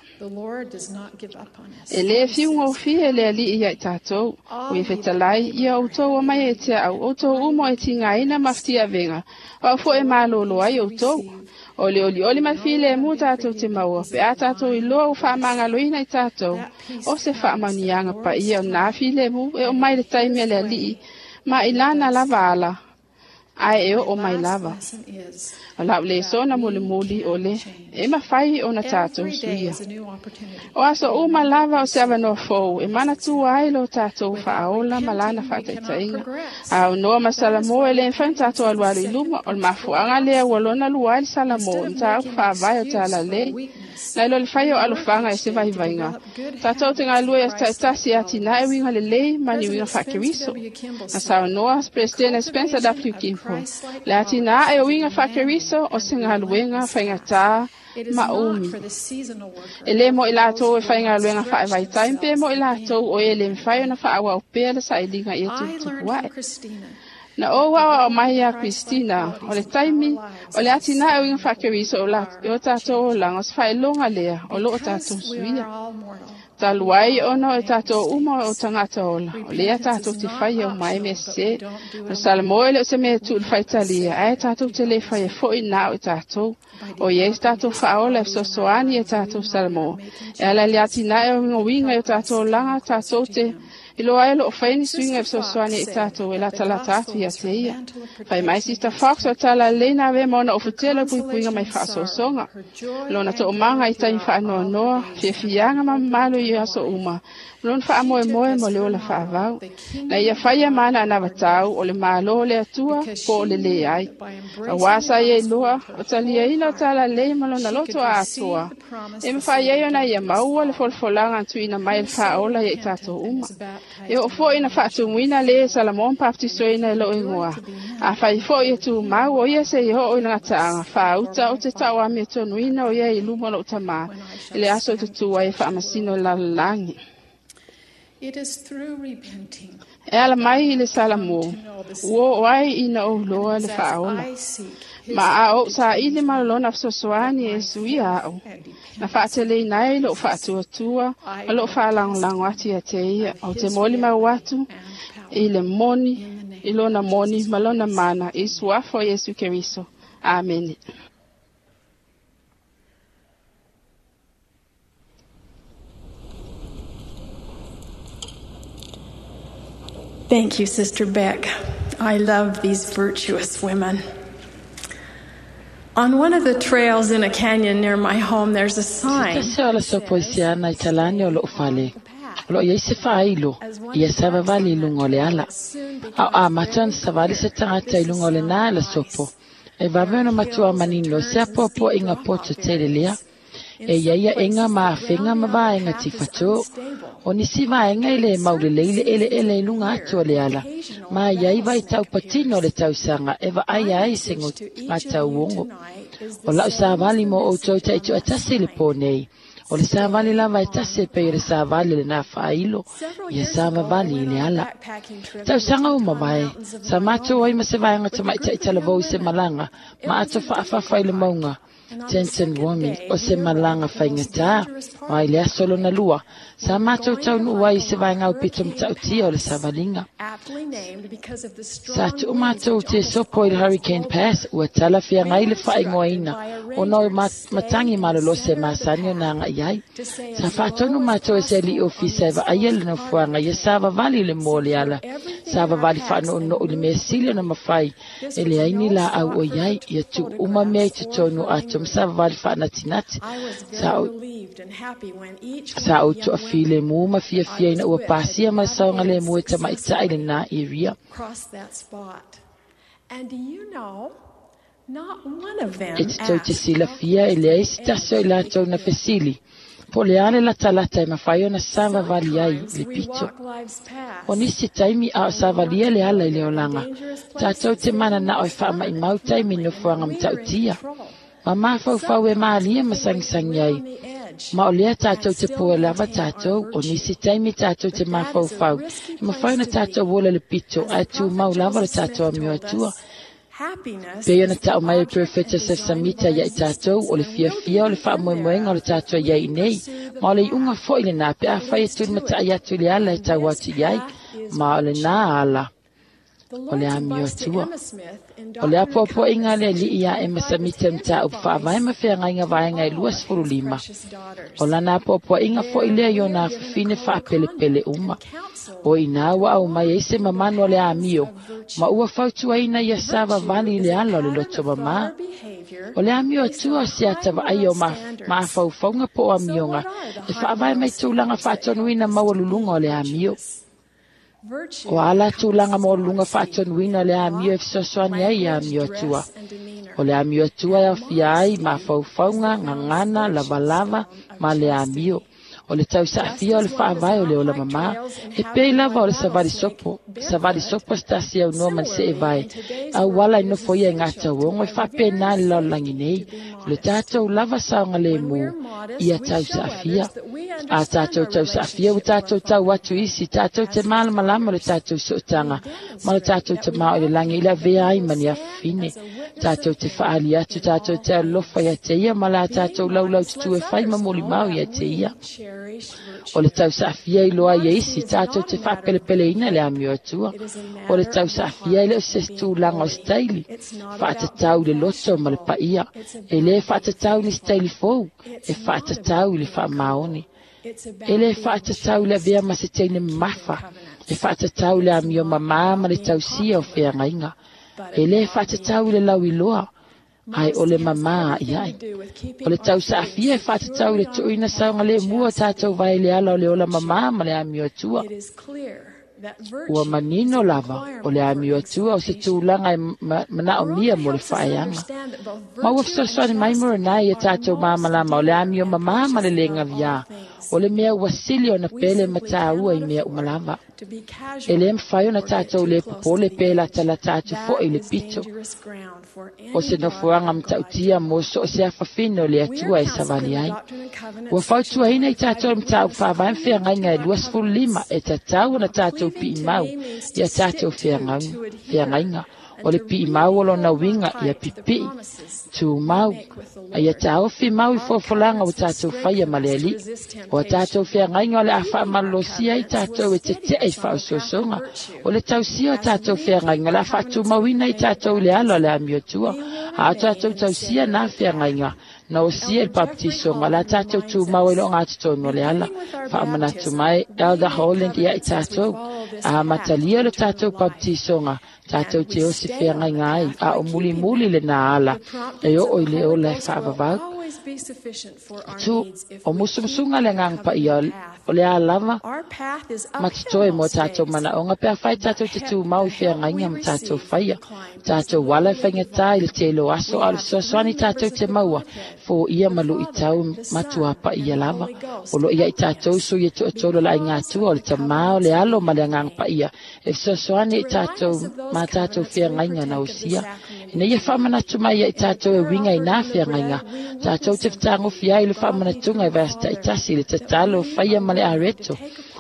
E lē fiugofie le Alii ia i tātou. O ia fetalai, ia outou omai ia te a'u, outou uma o e tigaina ma fitiavega, o a'u foi e malōlō ai outou. O le olioli ma le filemu tātou te maua, pe a tātou iloa ua faamagaloina i tātou, o se faamanuiaga paia o lena filemu e oo mai le taimi a le Alii, ma i lana lava ala, ae e oo mai lava. O lau lesona mulimuli o le, e mafai ona tātou suia. O aso uma lava o se avanoa fou, e manatua ai lo tātou faaola ma lana faataitaiga. A o Noa ma Salamo e lē mafai ona tātou alualu i luma, o le mafuaaga lea ua lona lua ai le Salamo i mataupu faavae o talalelei. Nai lo le faia o alofaga e se vaivaiga. Tātou te galulue i aso taitasi e atinae uiga lelei ma ni uiga faakeriso. Na saunoa Peresetene Spencer W. Kimball, le atinae o uiga faakeriso o se galuega faigatā ma umi. E lē mo i latou e faigaluega faavaitaimi pe mo i latou o e lē mafai ona faaauau pea le sailiga ia tuputupu ae. Na ou aoao mai iā Christina, o le taimi, o le atinae o uiga faakeriso o tātou olaga o se faailoga lea o loo tātou suia. Talu ai ona o tātou uma o tagata ola, o lea tātou te faia uma ai mea sesē. O le Salamo e le o se mea e tuu i le faitalia, ae tātou te lē faia foi na o i tātou. O i ai se tātou faaola e fesoasoani ia tātou Salamo. E ala i le atinae o uiga i o tātou olaga, tātou te iloa ai o loo faia ni suiga e fesoasoani i tātou e latalata atu ia te ia. Fai mai Sister Fox o talalelei na avea ma ona ofutia le puipuiga mai faasoasoga. Lona toomaga i taimi faanoanoa, fiafiaga ma mamalu i aso uma, ma lona faamoemoe mo le ola faavau. Na ia faia mana anavatau o le Malo o le Atua po o le leai. Auā sa ia iloa, o taliaina o talalelei ma lona loto atoa, e mafai ai ona ia maua le folafolaga na tuuina mai e le faaola ia i tātou uma. E oo foi na faatumuina lē Salamo ma baptisoina i lou igoa. Afai foi e tumau o ia seia oo i le gataaga faauta, ou te tauamiatonuina o ia i luma o lou Tamā i le aso e tutū ai e faamasino i le lalolagi. E ala mai i le Salamo, ua oo ai ina ou iloa le faaola. Ma a ou saili ma lona fesoasoani e suia a'u, na faateleina ai lou faatuatua ma lou faalagolago atu ia te ia. Ou te molimau atu i le moni, i lona moni ma lona mana, i suafa o Iesu Keriso. Amene. Thank you, Sister Beck. I love these virtuous women. On one of the trails in a canyon near my home, there's a sign. Se tasi o ala sopo i siana i talane o lou fale, o loo iai se faailo, ia savavali i luga o le ala. A o amata ona savali se tagata i luga o lena ala sopo, e vave ona matua manino se apoapoaiga poto tele lea. E iai aʻega ma afega ma vaega tifatō. O nisi vaega e lē mau lelei le ʻeleʻele i luga atu o le ala, ma e iai vaitau patino o le tausaga e vaaia ai se gatauogo. O la'u savali mo ʻoutou taituatasi i le pō nei, o le savali lava e tasi e pei o le savali o lenā faailo, ia savavali i le ala. Tausaga ua mavae, sa matou ai ma se vaega tamaitaʻi talavou i se malaga ma ato faafafa i le mauga, Jensen Women, o se malaga faigata, ma i le aso lona lua, sa matou taunuu ai i se vaega aupito matautia o le savaliga. Sa tuu matou te sopo i le Hurricane Pass, ua talafeagai le faaigoaina ona o matagi malolosi e masani ona agai ai. Sa faatonu matou e se alii ofisa e vaaia le nofoaga ia savavali i le moa o le ala. Savavali whaanono i le mea sili ona mawhai e leai ni laau o iai ia tuu uma mea i totonu o ato ma savavali faanatinati. Sa ou toafilemu ma fiafia ina ua pasia ma le saogalemu e tamaitai lenā i ria. E te tou te silafia e leai se tasi o i latou na fesili, po o le a le latalata e mafai ona savavali ai i le pito. O nisi taimi a o savalia le ala i le olaga, tatou te mananao e faamaimau taimi i nofoaga matautia, ma mafaufau e malie ma sagisagi ai, ma o lea tatou te poe lava tatou, o nisi taimi tatou te mafaufau, e mafai ona tatou ola i le pito, ae tumau lava le tatou amio Atua. Pei ona tau mai e le Perofeta Joseph Samita ia i tatou, o le fiafia o le faamoemoega o le tatou i ai i nei, ma o le iuga foi lenā pe afai e tulimatai atu i le ala e tau atu i ai, ma o lenā ala o le amio Atua. O le apoapoaiga a le Alii ia Ema Samita i mataupu faavae ma feagaiga vaega e 25. O lana apoapoaiga foi lea i ona afafine faapelepele uma. O i ina ua aumai ai se mamanu o le amio, ma ua fautuaina ia savavali i le ala o le loto mamā. O le amio atua o se ata vaaia o mafaufauga po o amioga e faavae mai tulaga faatonuina maualuluga o le amio. O a la tulaga maualuluga faatonuina o le amio e fesoasoani ai ia amio atua? O le amio atua e aofia ai mafaufauga, gagana, lavalava ma le amio. O le tausaafia o le faavae o le ola mamā, e pei lava o le savali sopo, savali sopo se tasi aunoa ma le seevae, auala e nofoia i gatauogo e faapena i le lalolagi nei, o le tatou lava saogalemu ia tausaafia. A tatou tausaafia ua tatou tau atu i isi, tatou te malamalama o le tatou sootaga ma le tatou Tama o i le lagi i le avea ai ma ni afafine. Tatou te faaali atu, tatou te alolofa ia te ia ma la tatou laulaututu e fai ma molimau ia te ia. O le tausaafia i loa ia isi, tatou te faapelepeleina le amio Atua. O le tausaafia e le o se tulaga o se taili, faatatau i le loto ma le paia. E le faatatau i ni setaili fou, e faatatau i le faamaoni. E le faatatau i le avea ma se teine mamafa, e faatatau i le amio mamā ma le tausia o feagaiga. E le faatatau i le lauiloa, ae o le mamā a'ia'i. O le tausaafia e faatatau i le tuuina saogalemu o tatou vae i le ala o le ola mamā ma le amio Atua. Ua manino lava, o le amio Atua o se tulaga e manaomia mo le faaeaga. Ma ua fesoasoani mai Moronai ia tatou malamalama o le amio mamā ma le le gaviā, o le mea ua sili ona pele ma tāua i mea uma lava. E le mafai ona tatou le popole pe latalata atu foi i le pito. O se nofoaga matautia mo so o se afafine o le Atua e savali ai. Ua fautuaina i tatou le mataupu faavae ma feagaiga e 25 e tatau ona tatou piimau ia tatou feagaiga. O le piimau o lona uiga ia pipii, tumau, a ia taofi mau i folafolaga ua tatou faia ma le Alii. O a tatou feagaiga o le a faamalolosia ai tatou e tetee i faaosoosoga. O le tausia o tatou feagaiga o le a faatumauina ai tatou i le ala o le amio Atua. A o tatou tausia na feagaiga, na osia i le baptisoga, o le a tatou tumau ai loga totonu o le ala. Faamanatu mai Elder Holland ia i tatou, a amatalia le tatou baptisoga, tatou te osi feagaiga ai, a o mulimuli lenā ala, e oo i le ola e faavavau. Tu, o musumusuga le Agaga Paia o le a lava ma totoe mo tatou manaoga pe afai tatou te tumau i feagaiga ma tatou faia. Tatou ala e faigata i le tele o aso a o le fesoasoani tatou te maua, foia ma luitau matua paia lava. O lo o ia i tatou sui e toatolu o le aiga Atua, o le Tama, o le Alo ma le Agaga Paia, e fesoasoani i tatou ma tatou feagaiga na osia. Ina ia faamanatu mai ia i tatou e uiga i nā feagaiga, tatou te fetagofi ai i le faamanatuga i vaiaso taitasi i le tatalo faia ma le areto.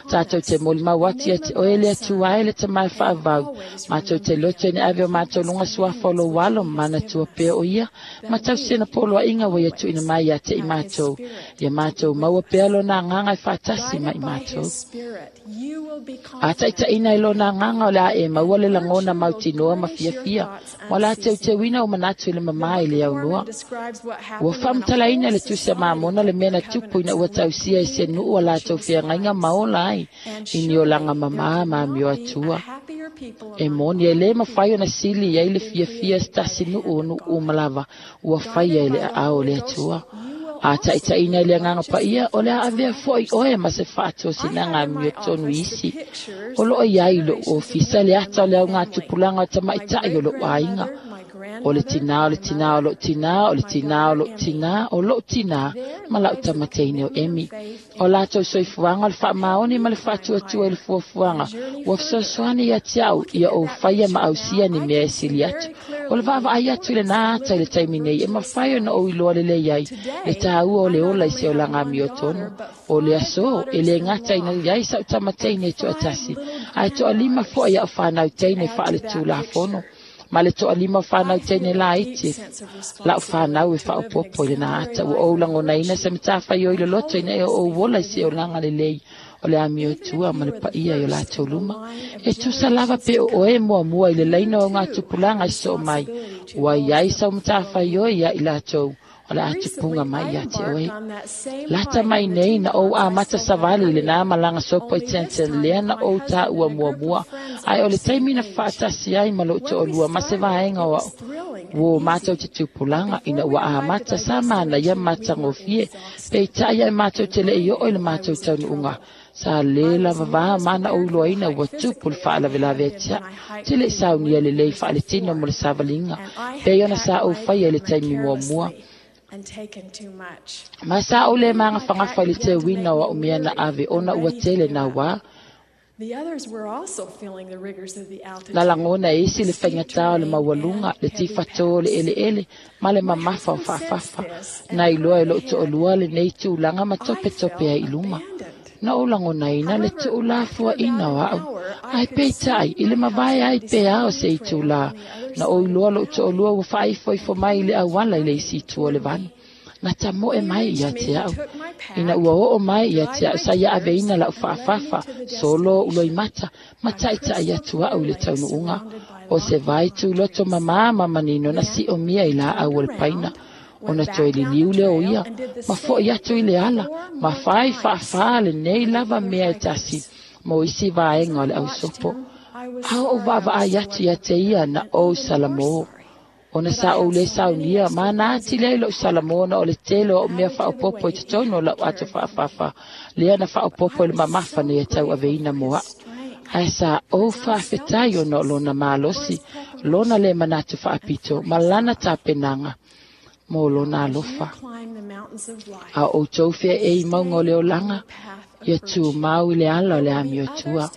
Tatou te molimau atu ia te oe le Atua e le Tama e faavavau. Matou te loto ina ave o matou luga suafa o lou alo ma manatua pea o ia, ma tausi ana poloaiga ua ia tuuina mai ia te i matou. Ia matou maua pea lona agaga e faatasi ma i matou. A taitaiina i lona agaga o le a e maua le lagona mautinoa ma fiafia, ma o le a teuteuina ou manatu i le mamā i le aunoa. Ua faamatalaina e le Tusi a Mamona le mea na tupu ina ua tausia e se nuu a latou feagaiga ma ola ai i ni olaga mamā ma amio Atua. E moni e le mafai ona sili i ai le fiafia se tasi nuu o nuu uma lava ua faia i le aao o le Atua. A taitaiina i le Agaga Paia, o le a avea foi oe ma se faatosinaga amiotonu i isi. O loo i ai i lou ofisa le ata o le augatupulaga o tamaitai o lou aiga. O le tinā o le tinā o lou tinā, o le tinā o lou tinā, o lou tinā, ma lau tamateine o Emi. O latou soifuaga o le faamaoni ma le faatuatua i le fuafuaga ua fesoasoani ia te au ia ou faia ma ausia ni mea e sili atu. O le vaavaai atu i lena ata i le taimi nei e mafai ona ou iloa lelei ai le taua o le ola i se olaga amiotonu. O le aso, e le gata ina i ai sau tamateine e toatasi, ae toalima foi au fanau teine faaletulafono. Ma le toalima o fanau teine laiti, lau fanau e faaopoopo i lena ata. Ua ou lagonaina se matafaioi loloto ina ia ou ola i se olaga lelei o le amiotua ma le paia i o latou luma. E tusa lava pe o oe muamua i le laina o augatupulaga i sosoo mai, ua i ai sau matafaioi ia i latou o le a tupuga mai ia te oe. Lata mai nei na ou amata savali i lena malaga sopo i Tianjin lea na ou taua muamua, ae o le taimi na faatasi ai ma lou toalua ma se vaega o au uo matou te tupulaga ina ua amata sa manaia ma matagofie, peitai ae matou te le i oo i le matou taunuuga. Sa le lava va ma na ou iloaina ua tupu le faalavelave atu au. Te le i saunia lelei faaletino mo le savaliga, pei ona sa ou faia i le taimi muamua. Ma sa ou le magafagafa i le teuina o au mea na ave ona ua tele nauā. Na lagona e isi le faigata o le maualuga, le tifato o le eleele, ma le mamafa o faafafa. Na iloa e lou toalua lenei tulaga ma topetope ai i luma. Na ou lagonaina le tuulafoaiina o au, ae peitai i le mavae ai pe a o se itulā, na ou iloa lou toalua ua faaifoifo mai i le auala i le isi itu o le vanu. Na tamoe mai ia te au. Ina ua oo mai ia te au, sa ia aveina lau faafafa, solo ou loimata, ma taitai atu au i le taunuuga. O se vai tuloto mamā ma manino na siomia i laau o le paina. Ona toe liliu lea o ia, ma foi atu i le ala, ma fai faafā lenei lava mea e tasi mo isi vaega o le ausopo. A ou vaavaai atu ia te ia na ou salamō. Ona sa ou le saunia, ma na atili ai lou salamō ona o le tele o au mea faaopoopo i totonu o lau ato faafafa, lea na faaopoopo i le mamafa na ia tauaveina mo au. Ae sa ou faafetai ona o lona malosi, lona le manatu faapito, ma lana tapenaga mo lona alofa. A o outou feaei i mauga o le olaga, ia tumau i le ala o le amiotua.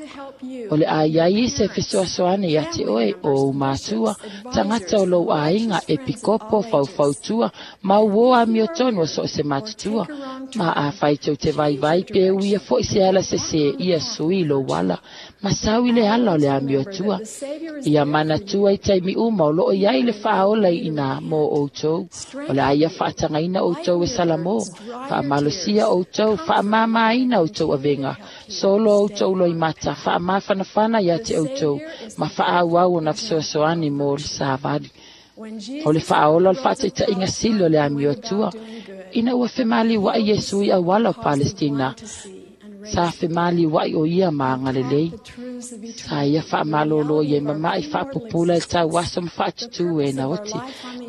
O le a i ai se fesoasoani ia te oe, o ou matua, tagata o lou aiga, epikopo, faufautua, ma uō amiotonu o so o se matutua. Ma afai tou te vaivai pe uia foi se ala sesē, ia sui lou ala, ma sau i le ala o le amiotua. Ia manatua i taimi uma o loo i ai le faaola i inā mo outou. O le a ia faatagaina outou e Salamō, faamalosia outou, faamāmāina outou avega, solo outou loimata, faamafanafana ia te outou, ma faaauau ona fesoasoani mo le savali. O le faaola o le faataitaiga sili o le amiotua. Ina ua femaliuai Iesu i auala o Palestina, sa femaliuai o ia ma agalelei. Sa ia faamalōlō i ai mama'i faapupula i le tauaso ma faatutū e na oti.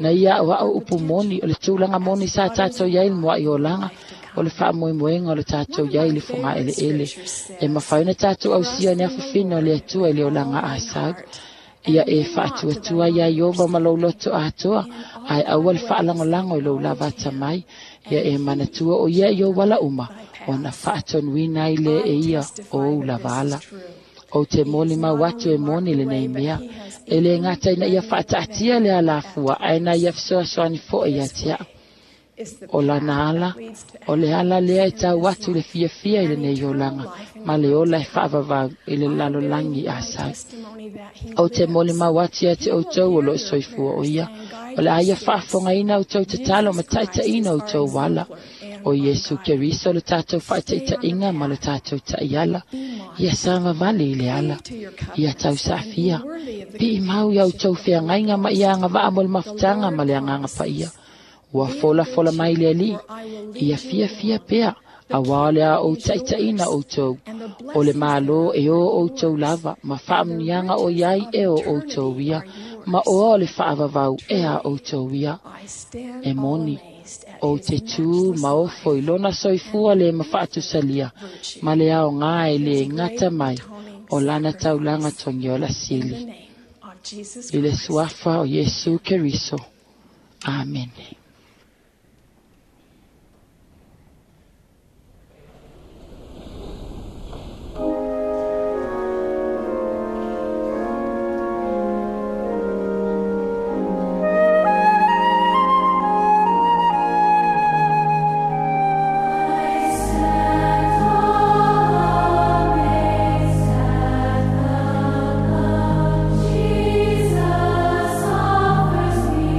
Na ia aoao upu moni o le tulaga moni sa tatou i ai le mua'i olaga, o le faamoemoega o le tatou i ai i le fogaeleele. E mafai ona tatou ausia ni afafina o le Atua i le olaga a sau. Ia e faatuatua iā Ieova ma lou loto atoa, ae aua le faalagolago i lou lava atamai. Ia e manatua o ia i ou ala uma, ona faatonuina ai lea e ia o ou lava ala. Ou te molimau atu e moni lenei mea. E le gata ina ia faataatia le alafua, ae na ia fesoasoani foi ia te au. O lana ala, o le ala lea e tau atu le fiafia i lenei olaga, ma le ola e faavavau i le lalolagi a sau. Ou te molimau atu ia te outou o loo soifua o ia, o le a ia faafofogaina outou tatalo ma taitaiina outou ala. O Iesu Keriso le tatou faataitaiga ma le tatou taiala, ia savavali i le ala, ia tausaafia. Piimau i a outou feagaiga ma ia agavaa mo le mafutaga ma le Agaga Paia. Ua folafola mai le Alii, ia fiafia pea, auā o le a ou taitaiina outou. O le malo e o outou lava, ma faamuniaga o iai e o outou ia, ma oa o le faavavau e a outou ia. E moni, ou te tū ma ofo i lona soifua le mafaatusalia, ma le aoga e le gata mai, o lana taulaga togiola sili. I le suafa o Iesu Keriso. Amene. Jesus offers me.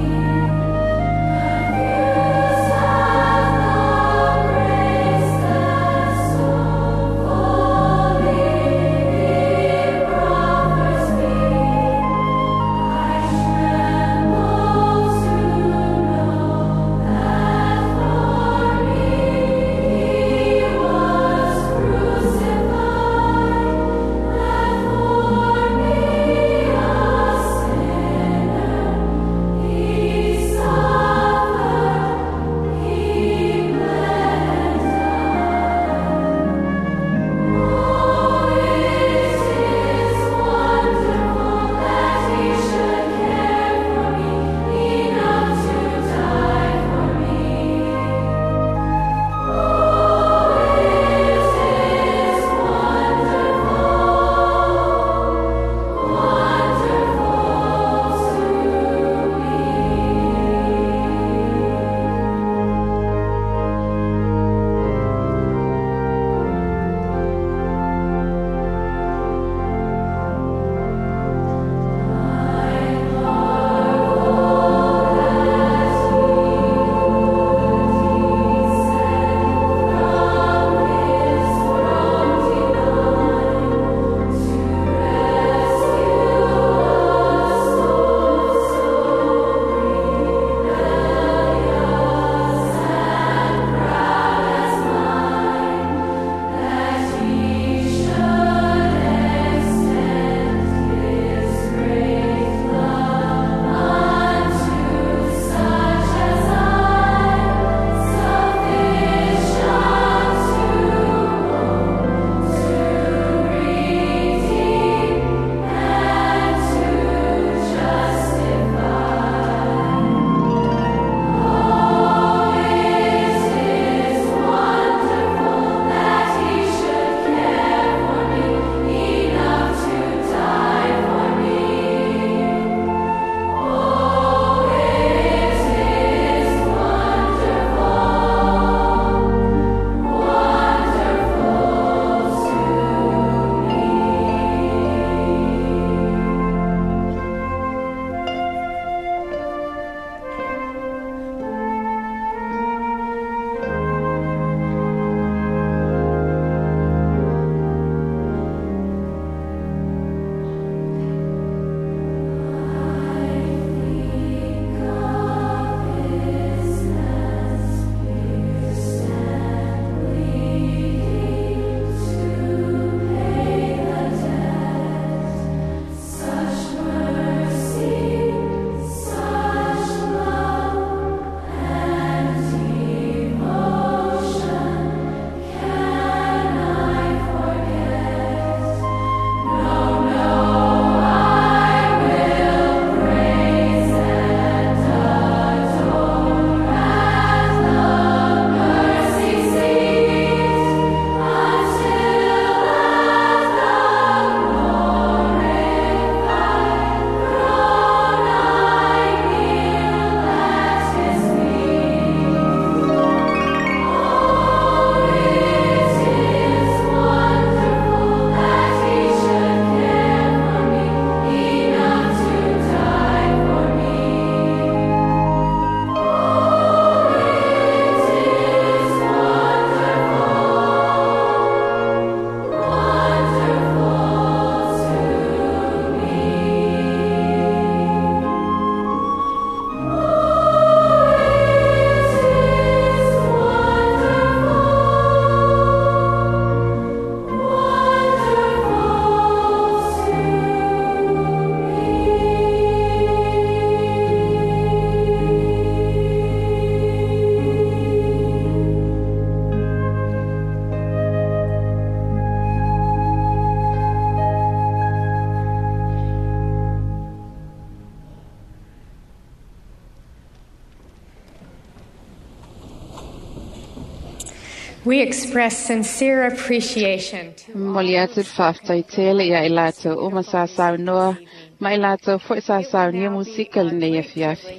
We express sincere appreciation to Momoli atu le faafetai tele ia i latou uma sa saunoa ma i latou fo'i sa saunia musika lenei afiafi.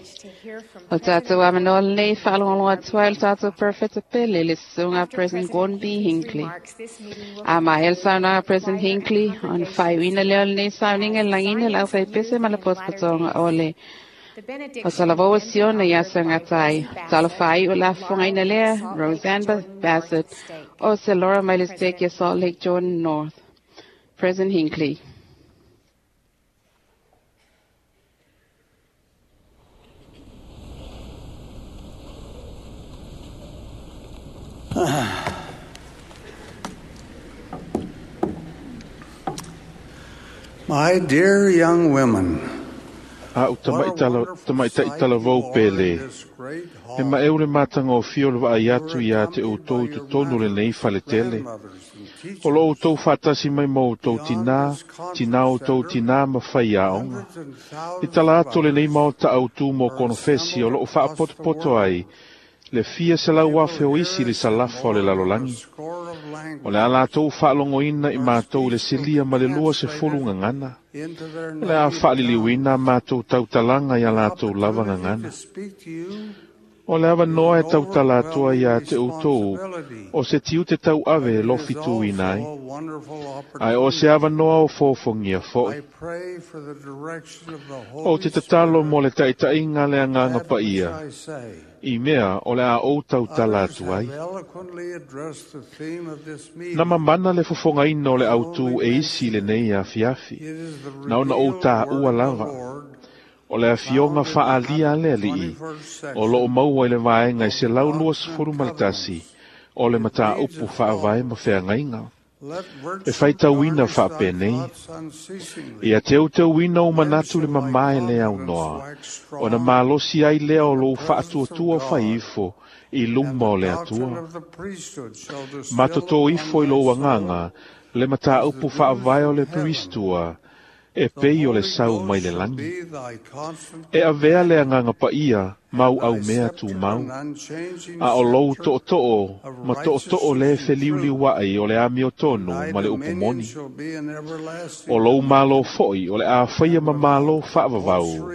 O tatou avanoa lenei faalogologo atu ai le tatou perofeta pele le susuga President Gordon B. Hinckley. A maea le saunoaga President Hinckley, ona faaiuina lea o lenei sauniga i le lagiga le aufaipese ma le potopotoga o le o talavou o Siona ia saugatai. Talofa ai o le afofogaina lea, Roseanne Bassett o se Laura mai le Stake Salt Lake Jordan North. President Hinckley. My dear young women, A u tamaitai talavou pele. He maeu le matagofie o le vaai atu iā te outou i totonu o lenei faletele. O lo outou faatasi mai ma outou tinā, tinā outou tinā ma faiaoga. I tala atu o lenei maota autū mo konofesi o loo faapotopoto ai le fia 100,000 o isi le salafa o le lalolagi. O le a latou faalogoina i matou i le silia ma le 20 gagana. O le a faaliliuina a matou tautalaga ia latou lava gagana. O le avanoa e tautala atu ai iā te outou o se tiute tauave e lofituina ai. Ae o se avanoa o fofogia fo'i. O te tatalo mo le taitaiga le agaga paia, i mea o le a ou tautala atu ai. Na mamana le fofogaina o le autū e isi lenei afiafi, na ona ou tāua lava. O le afioga faaalia a le alii, o loo maua i le vaega i 121 o le mataupu faavae ma feagaiga. E faitauina faapenei. Ia teuteuina o manatu le mamae le aunoa, ona malosi ai lea o lou faatuatua fai ifo i luma o le Atua. Matotō ifo i lou agaga le mataupu faavae o le peristua e pei o le sau mai le lagi. E avea le agaga paia mau aumea tumau, a o lou tootoo ma tootoo le feliuliuai o le amiotonu ma le upu moni. O lou malo fo'i o le a faia ma malo faavavau,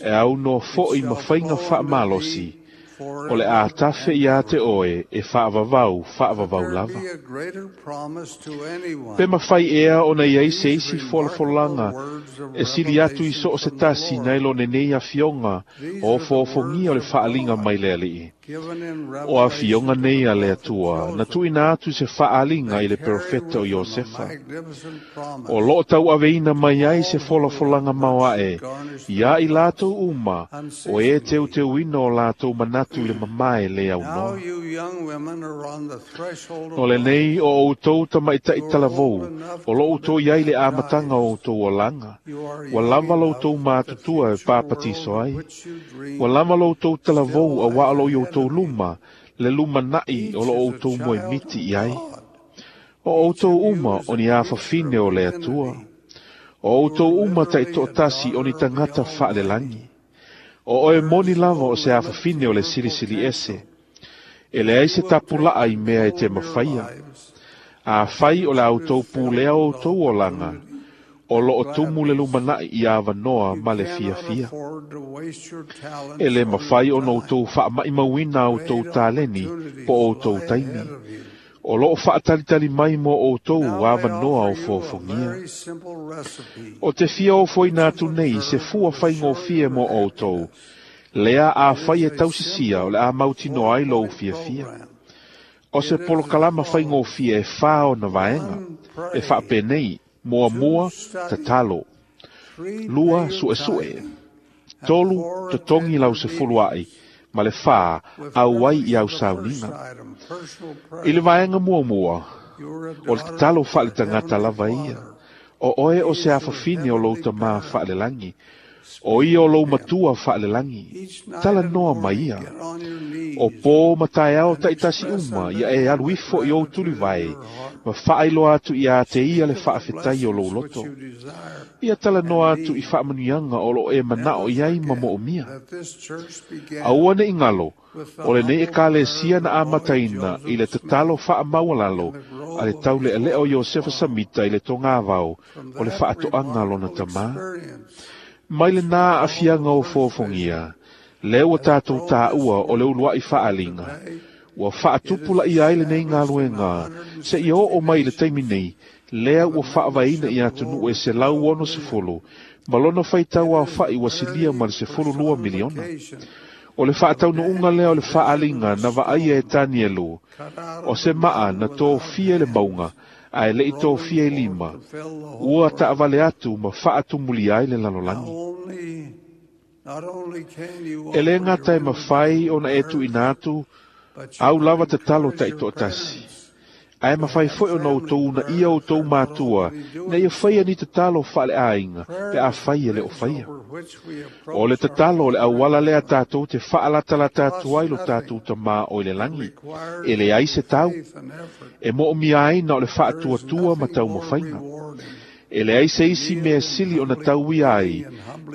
e aunoa fo'i ma faiga faamalosi, o le a tafe iā te oe e faavavau faavavau lava. Pe mafai ea ona iai se isi folafolaga e sili atu i so o se tasi nai lo lenei afioga o ofoofogīa o le faaliga mai le alii. O afioga nei a le Atua na tuuina atu se faaliga i le perofeta o Iosefa. O loo tauaveina mai ai se folafolaga maoae ia i latou uma o e teuteuina o latou manatu i le mamae le aunoa. O lenei o outou tamaitai talavou, o loo outou iai le amataga o outou olaga. Ua lava lo outou matutua e papatiso ai. Ua lava lo outou talavou auā o loo i outou luma, le lumana'i o loo outou moemiti i ai. O outou uma o ni afafine o le Atua. O outou uma taitoatasi o ni tagata faalelagi. O oe moni lava o se afafine o le silisili ese. E leai se tapulaa i mea e te mafaia. Afai o le a outou pulea o outou olaga, o loo tumu le lumana'i i avanoa ma le fiafia. E le mafai ona outou faamaimauina a outou taleni po o outou taimi. O loo faatalitali mai mo outou avanoa o fofogia. O te fia ofoina atu nei se fua faigofie mo outou, lea afai e tausisia o le a mautinoa ai lou fiafia. O se polokalama faigofie e 4 ona vaega, e faapenei: 1, tatalo; 2, suesue; 3, totogi lau sefulua'i; ma le 4, auai i au sauniga. I le vaega muamua, o le tatalo faaletagata lava ia. O oe o se afafine o lou tamā faalelagi. O ia o lou matua faalelagi, talanoa ma ia. O pō ma taeao taitasi uma ia e alu ifo i ou tulivae, ma faailoa atu iā te ia le faafetai o lou loto. Ia talanoa atu i faamanuiaga o loo e manao i ai ma moomia. Aua ne i galo, o lenei ekalesia na amataina i le tatalo faamaualalo a le taulealea o Iosefa Samita i le togavao o le faatoaga a lona tamā. Mai lenā aafiaga o fofogia, lea ua tatou tāua o le uluai faaliga, ua faatupulaia ai lenei galuega, seia oo mai i le taimi nei, lea ua faavaeina i atunuu e 160, ma lona faitau aofa'i ua silia ma le 12 miliona. O le faataunuuga lea o le faaliga na vaaia e Tanielu, o se maa na tofia i le mauga, ae le'i tofia i lima, ua taavale atu ma faatumulia ai le lalolagi. E lē gata e mafai ona e tuuina atu au lava tatalo taitoatasi, ae mafai foi ona outou uunaia outou matua ina ia faia ni tatalo faaleaiga pe afai e le o faia. O le tatalo o le auala lea tatou te faalatalata atu ai lo tatou tamā o i le lagi, e leai se tau, e moomia ai na o le faatuatua ma taumafaiga. E leai se isi mea sili ona tauia ai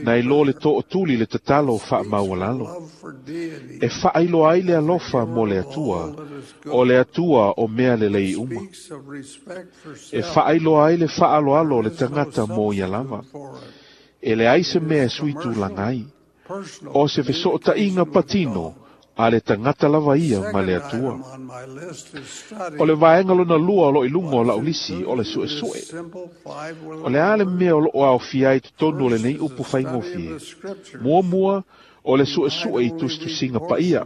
nai lo le tootuli le tatalo faamaualalo. E faailoa ai le alofa mo le Atua, o le Atua o mea lelei uma. E faailoa ai le faaaloalo o le tagata mo ia lava. E leai se mea e sui tulaga ai. O se fesootaiga patino a le tagata lava ia ma le Atua. O le vaega lona lua o loo i luga o lau lisi o le suesue. O le a le mea o loo aofia ai totonu o lenei upu faigofie? Muamua, o le suesue i tusitusiga paia.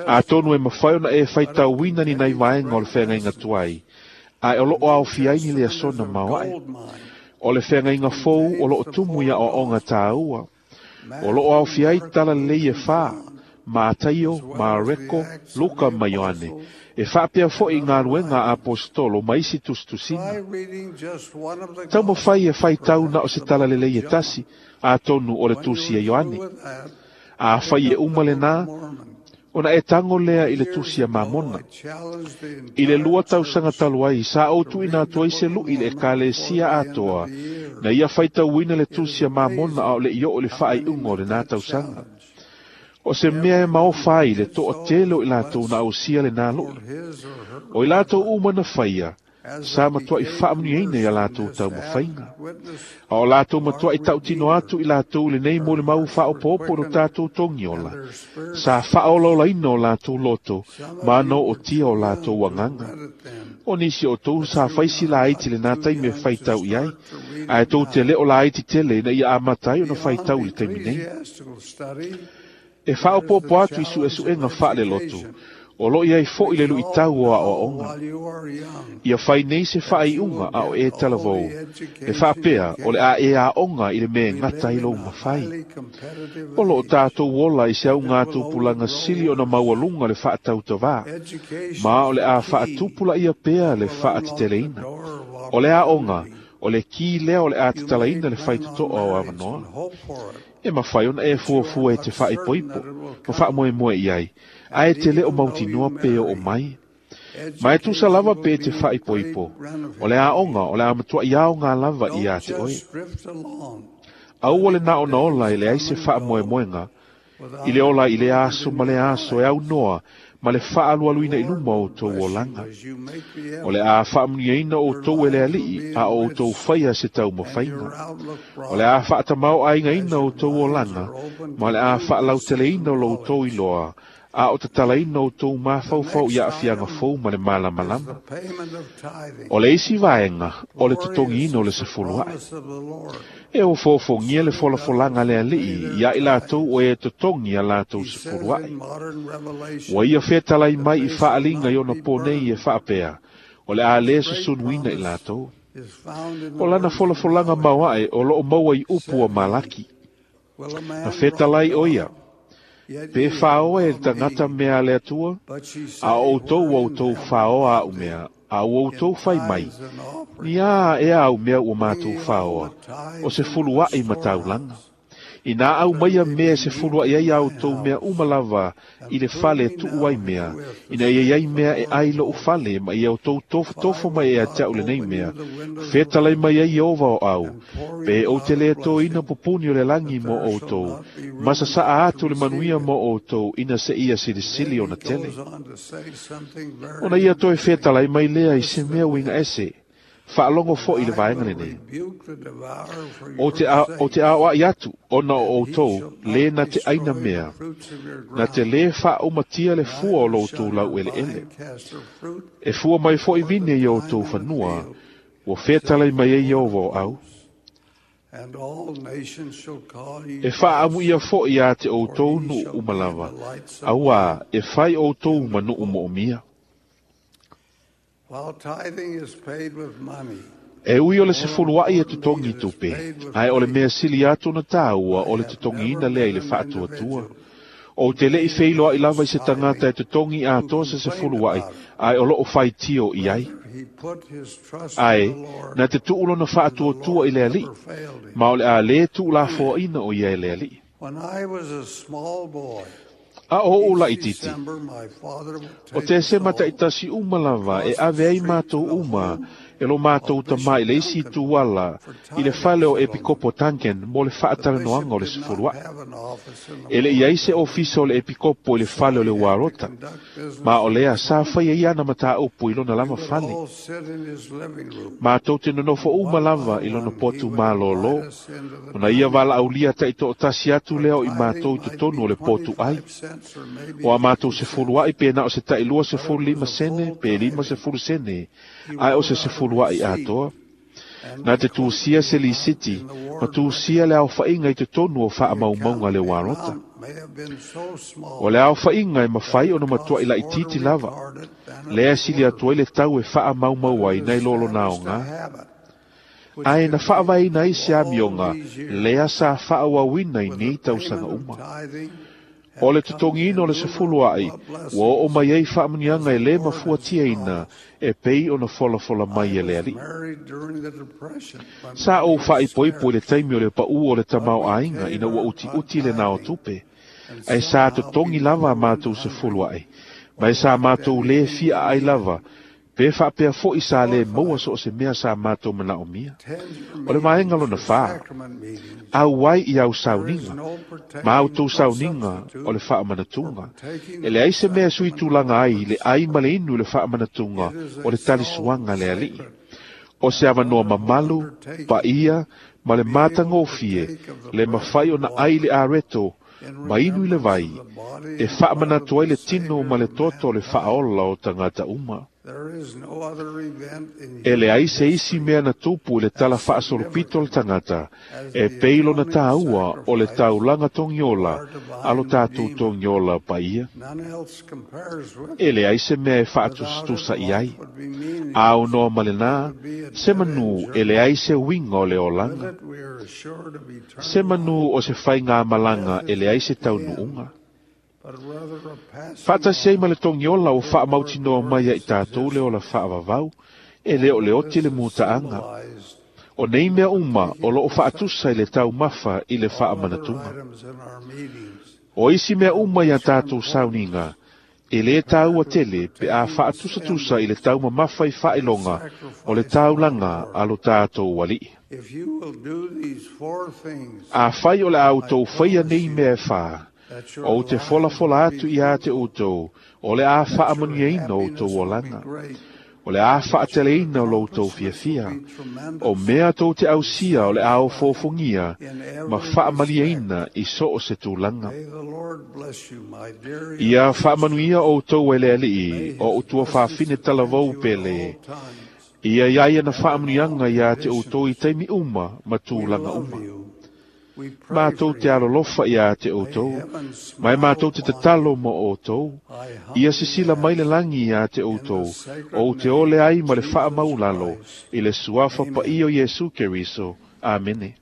Atonu e mafai ona e faitauina ni nai vaega o le feagaiga tuai, ae o loo aofia ai ni le asona maoae. O le feagaiga fou o loo tumu i aoaoga tāua. O loo aofia ai tala lelei e fā, Mataio, Mareko, Luka ma Ioane, e faapea foi i galuega a apostolo ma isi tusitusiga. Taumafai e faitau na o se tala lelei e tasi, atonu o le tusi a Ioane. Afai e uma lenā, ona e tago lea i le tusi a Mamona. I le 2 tausaga talu ai, sa ou tuuina atu ai se lu'i i le ekalesia atoa, na ia faitauina le tusi a Mamona a o le'i oo i le faaiuga o lenā tausaga. O se mea e maofa ai le toatele o i latou na ausia lenā lu'i. O i latou uma na faia, sa matuai faamanuiaina ia latou taumafaiga. A o latou matuai tautino atu i latou i lenei molimau faaopoopo i lo tatou togiola, sa faaolaolaina o latou loto ma ana ootia o latou agaga. O nisi o outou sa fai si laiti lenā taimi e faitau i ai, ae tou te le o laiti tele ina ia amata ai ona faitau i le taimi nei. E faaopoopo atu i suesuega faaleloto, o loo i ai fo'i le luitau o aoaoga. Ia fai nei se faaiuga a o e talavou, e faapea o le a e aoga i le mea e gata ai lou mafai. O loo tatou ola i se augatupulaga sili ona maualuga le faatautavā, ma o le a faatupulaia pea le faateteleina. O le aoga, o le ki lea o le a tatalaina le faitotoa o avanoa. E mafai ona e fuafua e te faaipoipo, ma faamoemoe i ai, ae te le o mautinoa pe oo mai. Ma e tusa lava pe te faaipoipo, o le aoga o le a matuai aoga lava iā te oe. Aua le na ona ola e leai se faamoemoega, i le ola i le aso ma le aso e aunoa ma le faalualuina i luma o outou olaga. O le a faamanuiaina outou e le Alii, a o outou faia se taumafaiga. O le a faatamaoaigaina outou olaga, ma o le a faalauteleina o lo outou iloa, a o tatalaina outou mafaufau i aafiaga fou ma le malamalama. O le isi vaega, o le totogiina o le 10 ae. E ofoofogia le folafolaga a le Alii ia i latou o e totogi a latou 10 ae. Ua ia fetalai mai i faaliga i ona pō nei e faapea, o le a lē susunuina i latou. O lana folafolaga maoae o loo maua i upu a Malaki. Na fetalai o ia, pe fāoa e le tagata mea a le Atua, a o outou ua outou fāoa au mea, a ua outou fai mai, ni a ea au mea ua matou fāoa, o se fulua'i ma taulaga. Inā aumaia mea e sefuluaʻi ai a outou mea uma lava i le fale e tuu ai mea, ina ia i ai mea e ai i loʻu fale, ma ia outou tofotofo mai ia te aʻu lenei mea, fetalai mai ai Ieova o au, pe ou te lē toina pupuni o le lagi mo outou, ma sasaʻa atu le manuia mo outou ina seia silisili ona tele. Ona ia toe fetalai mai lea i se mea uiga ese, faalogo foʻi i le vaega lenei. Ou te aoaʻi atu ona o outou lē na te ʻaina mea, na te lē faaʻumatia le fua o lo outou lauʻeleʻele. E fua mai foʻi vine i o outou fanua, ua fetalai mai ai Ieova o au. E faaamuia foʻi iā te outou nuu uma lava, auā e fai outou ma nuu moomia. E ui o le sefuluaʻi e totogi i tupe, ae o le mea sili atu ona tāua o le totogiina lea i le faatuatua. Ou te leʻi feiloaʻi lava i se tagata e totogi atoa se sefuluaʻi, ae o loo faitio i ai. Ae, na te tuu lona faatuatua i le Alii, ma o le a lē tuulafoaʻina o ia e le Alii. A o oʻu laʻitiiti, o Tesema taʻitasi uma lava e ave ai matou uma e lo matou tamā i le isi itu ala i le fale o Epikopo Duncan mo le faatalanoaga o le sefuluaʻi. E leʻi ai se ofisa o le Epikopo i le fale o le Uarota, ma o lea sa faia ia ana mataupu i lona lava fale. Matou te nonofo uma lava i lona potu malōlō, ona ia valaaulia taʻitoʻotasi atu lea o i matou i totonu o le potu ai. O a matou sefuluaʻi pe na o se taʻilua sene pe 50 sene, ae o se sefuluaʻi atoa. Na te tusia se lisiti, ma tusia le aofaʻiga i totonu o faamaumauga le Uarota. O le aofaʻiga e mafai ona matuaʻi laʻitiiti lava, lea sili atu ai le tau e faamaumau ai nai lo lona aogā. Ae na faavaeina ai se amioga lea sa faaauauina i nei tausaga uma. O le totogiina o le sefuluaʻi, ua oo mai ai faamanuiaga e lē mafuatiaina e pei ona folafola mai e le Alii. Sa ou faaipoipo i le taimi o le paʻū o le tamaoaiga ina ua utiuti le nao tupe, ae sa totogi lava a matou sefuluaʻi, ma e sa matou lē fiaʻaʻai lava, pe faapea foʻi sa lē maua so o se mea sa matou manaʻomia. O le vaega lona 4, auai i au sauniga, ma outou sauniga o le faamanatuga. E leai se mea sui tulaga ai le ai ma le inu i le faamanatuga o le talisuaga le Alii. O se avanoa mamalu, paia, ma le matagofie, le mafai ona ai le areto, ma inu i le vai, e faamanatu ai le tino ma le toto o le faaola o tagata uma. E leai se isi mea na tupu i le tala faasolopito o le tagata, e pei lona tāua o le taulaga togiola a lo tatou togiola paia. E leai se mea e faatusatusa i ai. A aunoa ma lenā, se manu e leai se uiga o le olaga. Se manu o se faigāmalaga e leai se taunuuga. Faatasi ai ma le togiola ua faamautinoa mai ai tatou le ola faavavau, e lē o le oti le mutaaga. O nei mea uma o loo faatusa i le taumafa i le faamanatuga. O isi mea uma ia tatou sauniga, e lē tāua tele pe a faatusatusa i le taumamafa i faailoga o le taulaga a lo tatou Alii. A fai o le a outou faia nei mea e 4, ou te folafola atu iā te outou, o le a faamanuiaina o outou olaga. O le a faateleina o lo outou fiafia. O mea tou te ausia o le a ofofogia ma faamaliaina i so o se tulaga. Ia faamanuia outou e le Alii o utua faafine talavou pele. Ia ia na faamanuiaga iā te outou i taimi uma ma tulaga uma. Mātou te alolofa ia te outou, mai mātou te tatalo mo outou, ia sisila mai le lagi ia te outou, o te ole ai ma le faamaulalo, i le suafa paia o Iesu Keriso. Amene.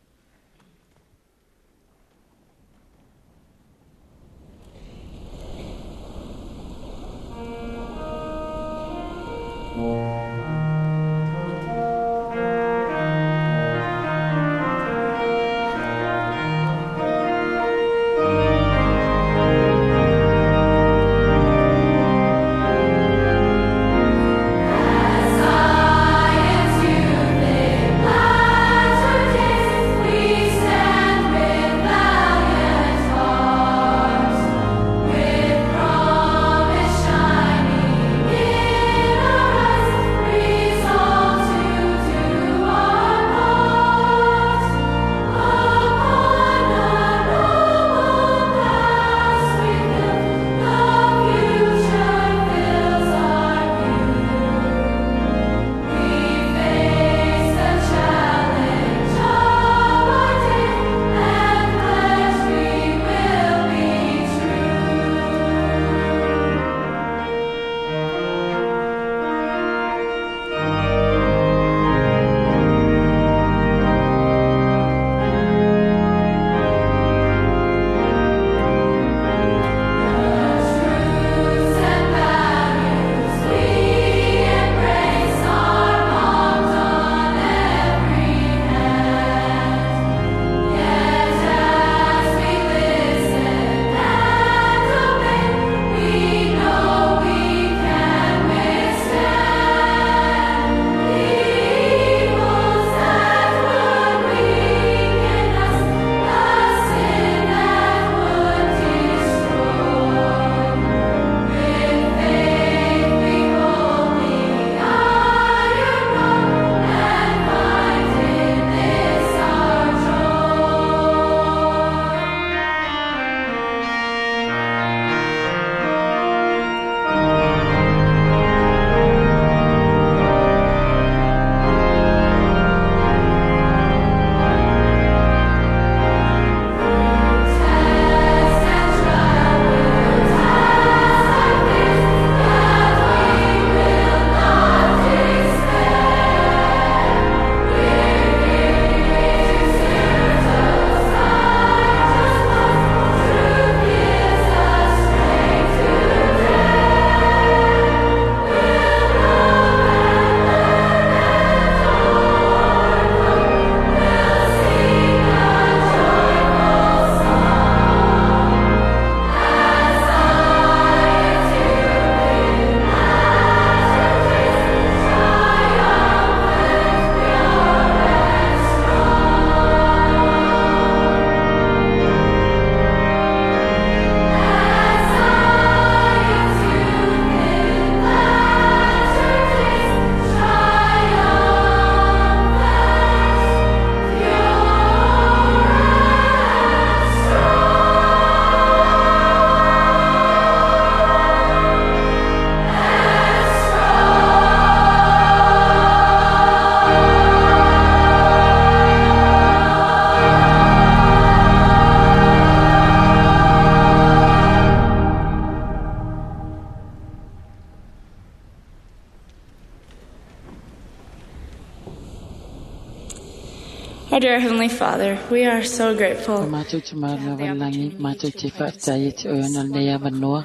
Our dear Heavenly Father, we are so grateful O mātou te maringa walangi, mātou te whaaftai e te oiona nei avanoa.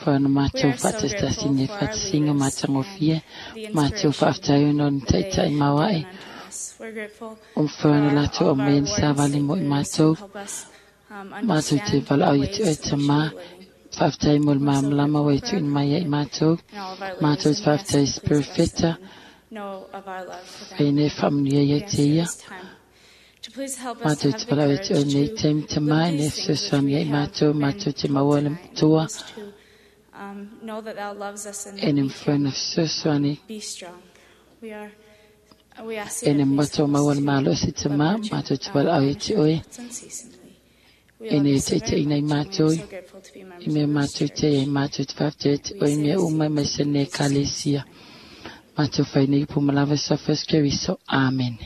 Whaona mātou whaatastasi nei whaatasinga mātangofia, mātou whaaftai ona ni taitai mawai. We're grateful O whaona lātou o mea ni sāvali mo i mātou. Mātou te walaau i te oe te mā, whaaftai mo le māmalama wa i tuin mai i mātou. Mātou te whaaftai spirifeta, know of our love for them. whaine whamunia ia te ia. To please help us to Mātou have te the walaau i te courage oe nei to taimi te mā, live ne these things which fesoasoani we i have mātou, been mātou te told maua le tonight, matua. to know that Thou loves us and E that ne we mwhana fesoasoani, be strong. We are. We ask thee e to ne please moto help us maua le to malo se te love mā, virtue, mātou te walaau i te oe. unceasingly. We E love ne you te so te very inei much, and we are mātou, so grateful to be i members mea of this mātou church. te e mātou te whaaftai te oe mea uma mai se ne kalesia. Mātou whai nei pumalawa sa Keriso. Amen.